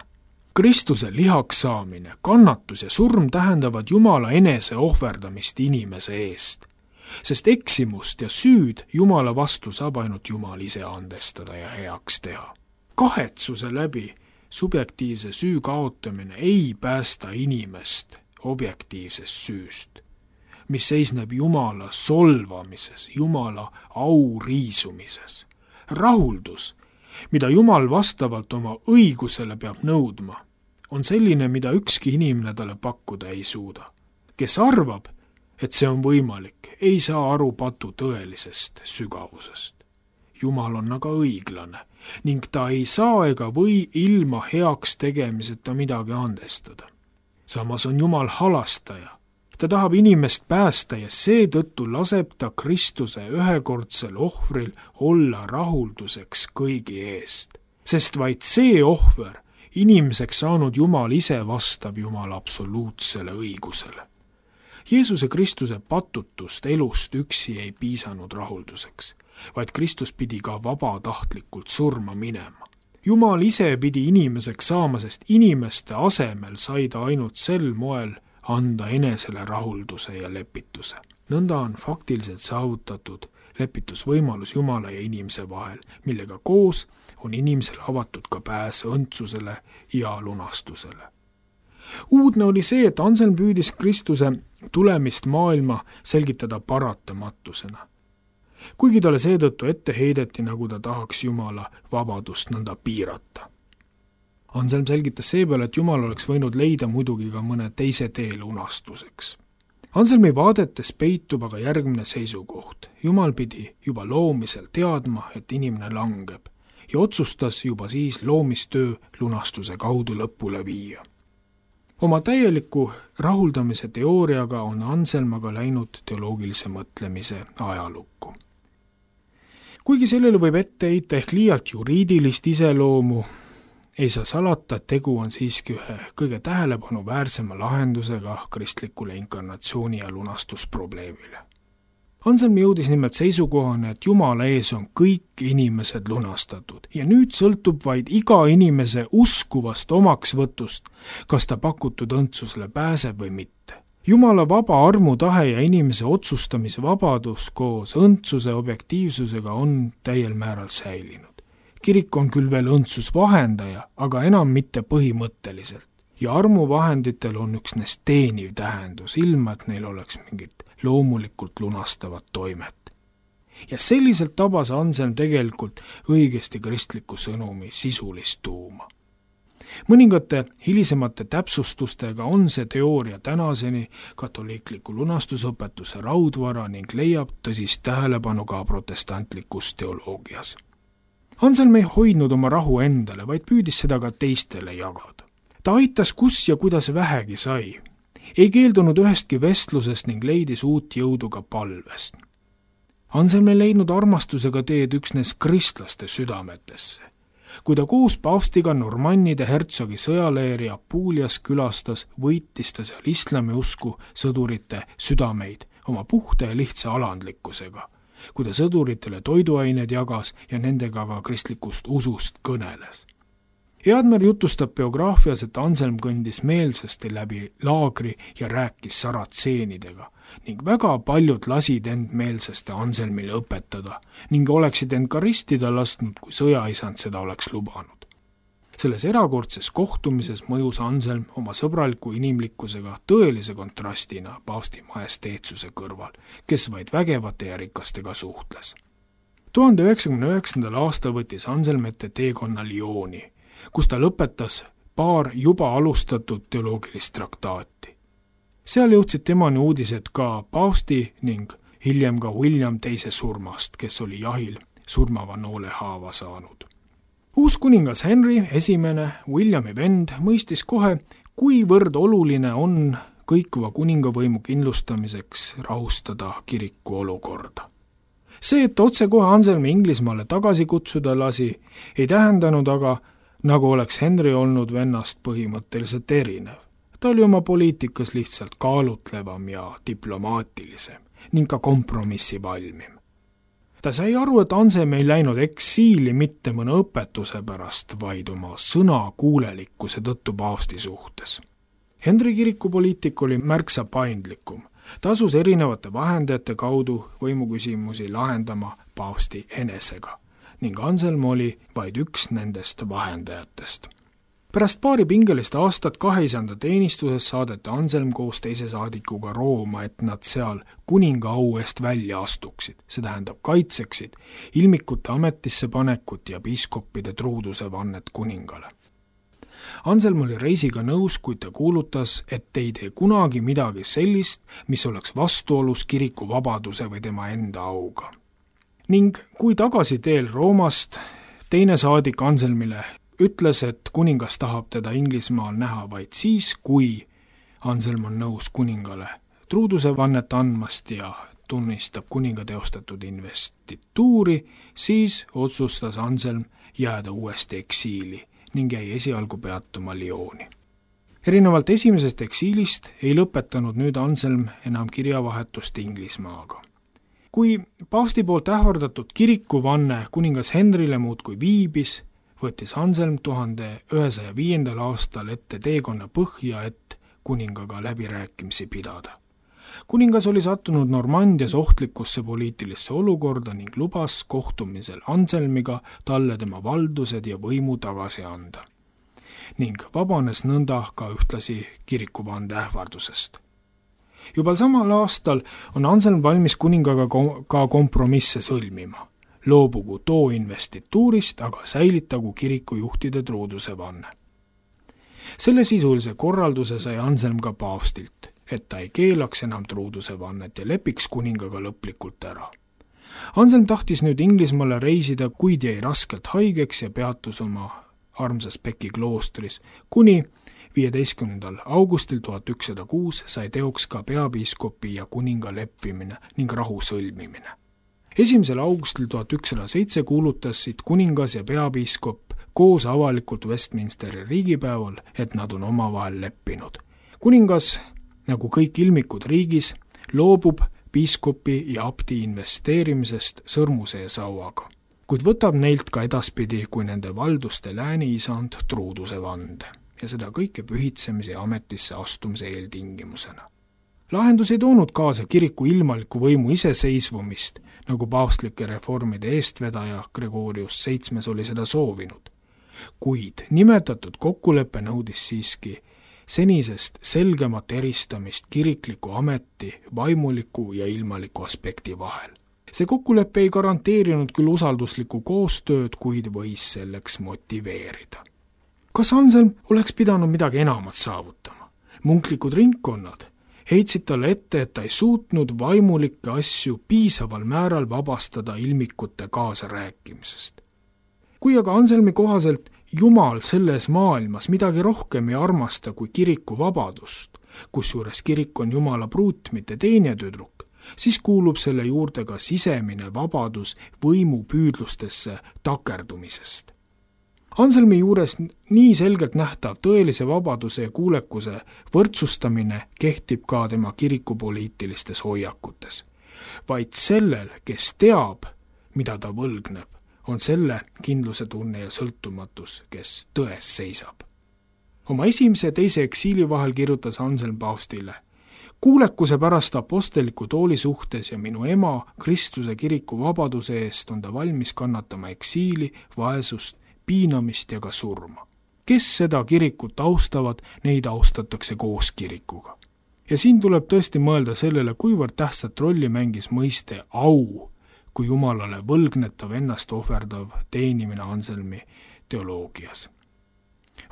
Kristuse lihaks saamine, kannatus ja surm tähendavad Jumala enese ohverdamist inimese eest. sest eksimust ja süüd Jumala vastu saab ainult Jumal ise andestada ja heaks teha. Kahetsuse läbi subjektiivse süü kaotamine ei päästa inimest objektiivsest süüst, mis seisneb Jumala solvamises, Jumala au riisumises. Rahuldus, mida Jumal vastavalt oma õigusele peab nõudma, on selline, mida ükski inimene talle pakkuda ei suuda. Kes arvab, et see on võimalik, ei saa aru patu tõelisest sügavusest. Jumal on aga õiglane ning ta ei saa ega või ilma heaks tegemiseta midagi andestada. Samas on Jumal halastaja. Ta tahab inimest päästa ja seetõttu laseb ta Kristuse ühekordsel ohvril olla rahulduseks kõigi eest. Sest vaid see ohver, inimeseks saanud Jumal ise vastab Jumala absoluutsele õigusele. Jeesuse Kristuse patutust elust üksi ei piisanud rahulduseks, vaid Kristus pidi ka vabatahtlikult surma minema. Jumal ise pidi inimeseks saama, sest inimeste asemel sai ta ainult sel moel anda enesele rahulduse ja lepituse. Nõnda on faktiliselt saavutatud lepitusvõimalus Jumala ja inimese vahel, millega koos on inimesele avatud ka pääs õndsusele ja lunastusele. Uudne oli see, et Anselm püüdis Kristuse tulemist maailma selgitada paratamatusena. Kuigi talle seetõttu ette heideti, nagu ta tahaks Jumala vabadust nõnda piirata. Anselm selgitas seepeale, et Jumal oleks võinud leida muidugi ka mõne teise tee lunastuseks. Anselmi vaadetes peitub aga järgmine seisukoht. Jumal pidi juba loomisel teadma, et inimene langeb ja otsustas juba siis loomistöö lunastuse kaudu lõpule viia. Oma täieliku rahuldamise teooriaga on Anselm aga läinud teoloogilise mõtlemise ajalukku. Kuigi sellele võib ette heita ehk liialt juriidilist iseloomu, ei saa salata, et tegu on siiski ühe kõige tähelepanu-väärsema lahendusega kristlikule inkarnatsiooni ja lunastusprobleemile. Anselm jõudis nimelt seisukohane, et Jumala ees on kõik inimesed lunastatud ja nüüd sõltub vaid iga inimese uskuvast omaksvõtust, kas ta pakutud õndsusele pääseb või mitte. Jumala vaba armutahe ja inimese otsustamise vabadus koos õndsuse objektiivsusega on täiel määral säilinud. Kirik on küll veel õndsusvahendaja, aga enam mitte põhimõtteliselt. Ja armuvahenditel on üksnes teeniv tähendus, ilma et neil oleks mingit loomulikult lunastavat toimet. Ja selliselt tabas Anselm tegelikult õigesti kristliku sõnumi sisulist tuuma. Mõningate hilisemate täpsustustega on see teooria tänaseni katoliikliku lunastusõpetuse raudvara ning leiab tõsist tähelepanu ka protestantlikus teoloogias. Anselm ei hoidnud oma rahu endale, vaid püüdis seda ka teistele jagada. Ta aitas kus ja kuidas vähegi sai. Ei keeldunud ühestki vestlusest ning leidis uut jõudu ka palvest. Anselm ei leidnud armastusega teed üksnes kristlaste südametesse. Kui ta koos paavstiga Normannide hertsogi sõjaleeri Apulias külastas, võitis ta seal islami usku sõdurite südameid oma puhta ja lihtsa alandlikkusega, kui ta sõduritele toiduained jagas ja nendega ka kristlikust usust kõneles. Eadmer jutustab biograafias, et Anselm kõndis meelsasti läbi laagri ja rääkis saratseenidega ning väga paljud lasid end meelsasti Anselmile õpetada ning oleksid end ka ristida lasknud, kui sõjaisand seda oleks lubanud. Selles erakordses kohtumises mõjus Anselm oma sõbraliku inimlikkusega tõelise kontrastina paavsti majesteetsuse kõrval, kes vaid vägevate ja rikastega suhtles. 1099. aastal võttis Anselm ette teekonna Lyoni, kus ta lõpetas paar juba alustatud teoloogilist traktaati. Seal jõudsid temani uudised ka paavsti ning hiljem ka William II surmast, kes oli jahil surmava noolehaava saanud. Uus kuningas Henry I, Williami vend, mõistis kohe, kuivõrd oluline on kõikuva kuningavõimu kindlustamiseks rahustada kiriku olukorda. See, et otsekohe Anselmi Inglismaale tagasi kutsuda lasi, ei tähendanud aga, nagu oleks Henry olnud vennast põhimõtteliselt erinev. Ta oli oma poliitikas lihtsalt kaalutlevam ja diplomaatilisem ning ka kompromissi valmim. Ta sai aru, et Anselm ei läinud eksiili mitte mõne õpetuse pärast, vaid oma sõnakuulelikkuse tõttu paavsti suhtes. Henry kirikupoliitik oli märksa paindlikum. ta asus erinevate vahendajate kaudu võimuküsimusi lahendama paavsti enesega ning Anselm oli vaid üks nendest vahendajatest. Pärast paari pingelist aastat kaheisanda teenistuses saadeti Anselm koos teise saadikuga Rooma, et nad seal kuninga au eest välja astuksid, see tähendab kaitseksid ilmikute ametisse panekut ja piiskoppide truuduse vannet kuningale. Anselm oli reisiga nõus, kuid ta kuulutas, et ei tee kunagi midagi sellist, mis oleks vastuolus kiriku vabaduse või tema enda auga. Ning kui tagasi teel Roomast teine saadik Anselmile ütles, et kuningas tahab teda Inglismaal näha vaid siis, kui Anselm on nõus kuningale truuduse vannet andmast ja tunnistab kuninga teostatud investituuri, siis otsustas Anselm jääda uuesti eksiili ning jäi esialgu peatuma Lyoni. Erinevalt esimesest eksiilist ei lõpetanud nüüd Anselm enam kirjavahetust Inglismaaga. Kui paavsti poolt ähvardatud kirikuvanne kuningas Henrile muudkui viibis, võttis Anselm 1105. aastal ette teekonna põhja, et kuningaga läbirääkimisi pidada. Kuningas oli sattunud Normandias ohtlikusse poliitilisse olukorda ning lubas kohtumisel Anselmiga talle tema valdused ja võimu tagasi anda. Ning vabanes nõnda ka ühtlasi kirikuvande ähvardusest. Juba samal aastal on Anselm valmis kuningaga ka kompromisse sõlmima. Loobugu too investituurist, aga säilitagu kirikujuhtide truuduse vanne. Selle sisulise korralduse sai Anselm ka paavstilt, et ta ei keelaks enam truuduse vannet ja lepiks kuningaga lõplikult ära. Anselm tahtis nüüd Inglismaale reisida, kuid jäi raskelt haigeks ja peatus oma armsas Peki kloostris, kuni 15. augustil 1106 sai teoks ka peapiiskopi ja kuninga leppimine ning rahu sõlmimine. 1. augustil 1107 kuulutasid kuningas ja peapiiskop koos avalikult Westminsteri riigipäeval, et nad on omavahel leppinud. Kuningas, nagu kõik ilmikud riigis, loobub piiskopi ja abdi investeerimisest sõrmusee sauaga, kuid võtab neilt ka edaspidi kui nende valduste lääniisand truuduse vande ja seda kõike pühitsemise ja ametisse astumise eeltingimusena. Lahendus ei toonud kaasa kiriku ilmaliku võimu iseseisvumist, nagu paavstlike reformide eestvedaja Gregorius VII oli seda soovinud. Kuid nimetatud kokkulepe nõudis siiski senisest selgemat eristamist kirikliku ameti, vaimuliku ja ilmaliku aspekti vahel. See kokkulepe ei garanteerinud küll usalduslikku koostööd, kuid võis selleks motiveerida. Kas Anselm oleks pidanud midagi enamat saavutama? Munklikud ringkonnad heitsid talle ette, et ta ei suutnud vaimulikke asju piisaval määral vabastada ilmikute kaasarääkimisest. Kui aga Anselmi kohaselt Jumal selles maailmas midagi rohkem ei armasta kui kiriku vabadust, kusjuures kirik on Jumala pruut, mitte teenetüdruk, siis kuulub selle juurde ka sisemine vabadus võimupüüdlustesse takerdumisest. Anselmi juures nii selgelt nähtav tõelise vabaduse ja kuulekuse võrdsustamine kehtib ka tema kirikupoliitilistes hoiakutes. Vaid sellel, kes teab, mida ta võlgneb, on selle kindluse tunne ja sõltumatus, kes tões seisab. Oma esimese ja teise eksiili vahel kirjutas Anselm paavstile: kuulekuse pärast aposteliku tooli suhtes ja minu ema Kristuse kiriku vabaduse eest on ta valmis kannatama eksiili, vaesust, piinamist ja ka surma. Kes seda kirikut austavad, neid austatakse koos kirikuga. Ja siin tuleb tõesti mõelda sellele, kuivõrd tähtsat rolli mängis mõiste au, kui Jumalale võlgnetav ennast ohverdav teenimine Anselmi teoloogias.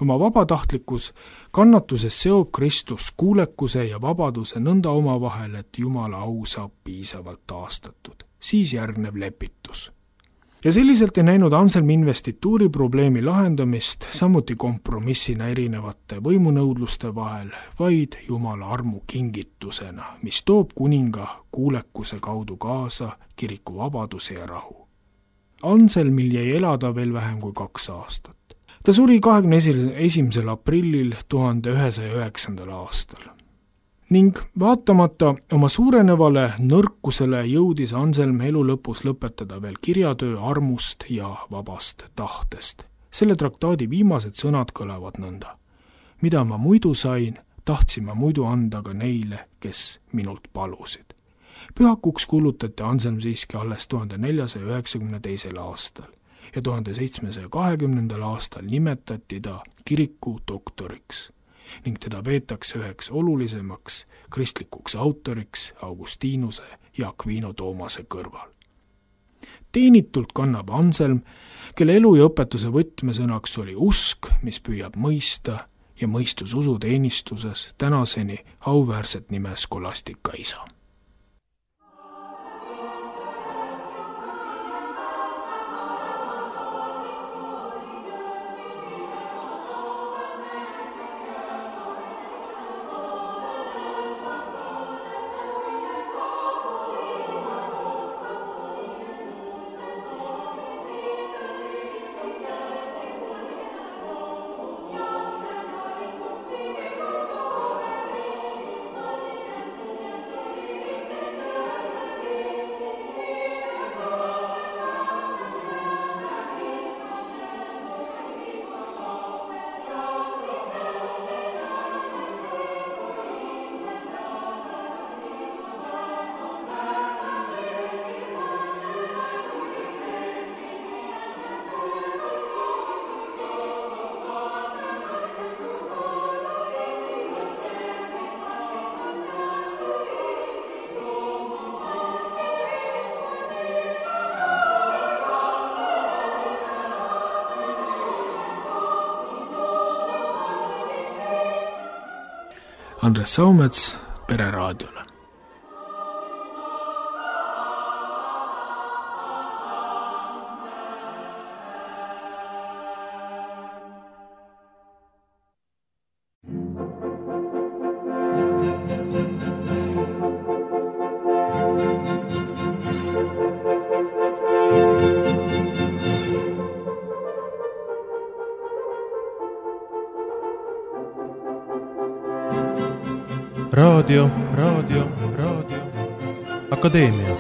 Oma vabatahtlikus kannatuses seob Kristus kuulekuse ja vabaduse nõnda omavahel, et Jumala au saab piisavalt taastatud. Siis järgneb lepitus. Ja selliselt ei näinud Anselm investituuri probleemi lahendamist samuti kompromissina erinevate võimunõudluste vahel, vaid Jumala armu kingitusena, mis toob kuninga kuulekuse kaudu kaasa kiriku vabaduse ja rahu. Anselmil jäi elada veel vähem kui 2 aastat. Ta suri 21. aprillil 1109. aastal. Ning vaatamata oma suurenevale nõrkusele jõudis Anselm elu lõpus lõpetada veel kirjatöö armust ja vabast tahtest. Selle traktaadi viimased sõnad kõlavad nõnda: mida ma muidu sain, tahtsin ma muidu anda ka neile, kes minult palusid. Pühakuks kuulutati Anselm siiski alles 1492. aastal ja 1720. aastal nimetati ta kiriku doktoriks ning teda veetakse üheks olulisemaks kristlikuks autoriks Augustinuse ja Aquino Toomase kõrval. Teenitult kannab Anselm, kelle elu ja õpetuse võtmesõnaks oli usk, mis püüab mõista ja mõistus usuteenistuses tänaseni auväärset nime Scholastica isa. Andres Saumets Pereraadiole. Raadio. Akadeemia.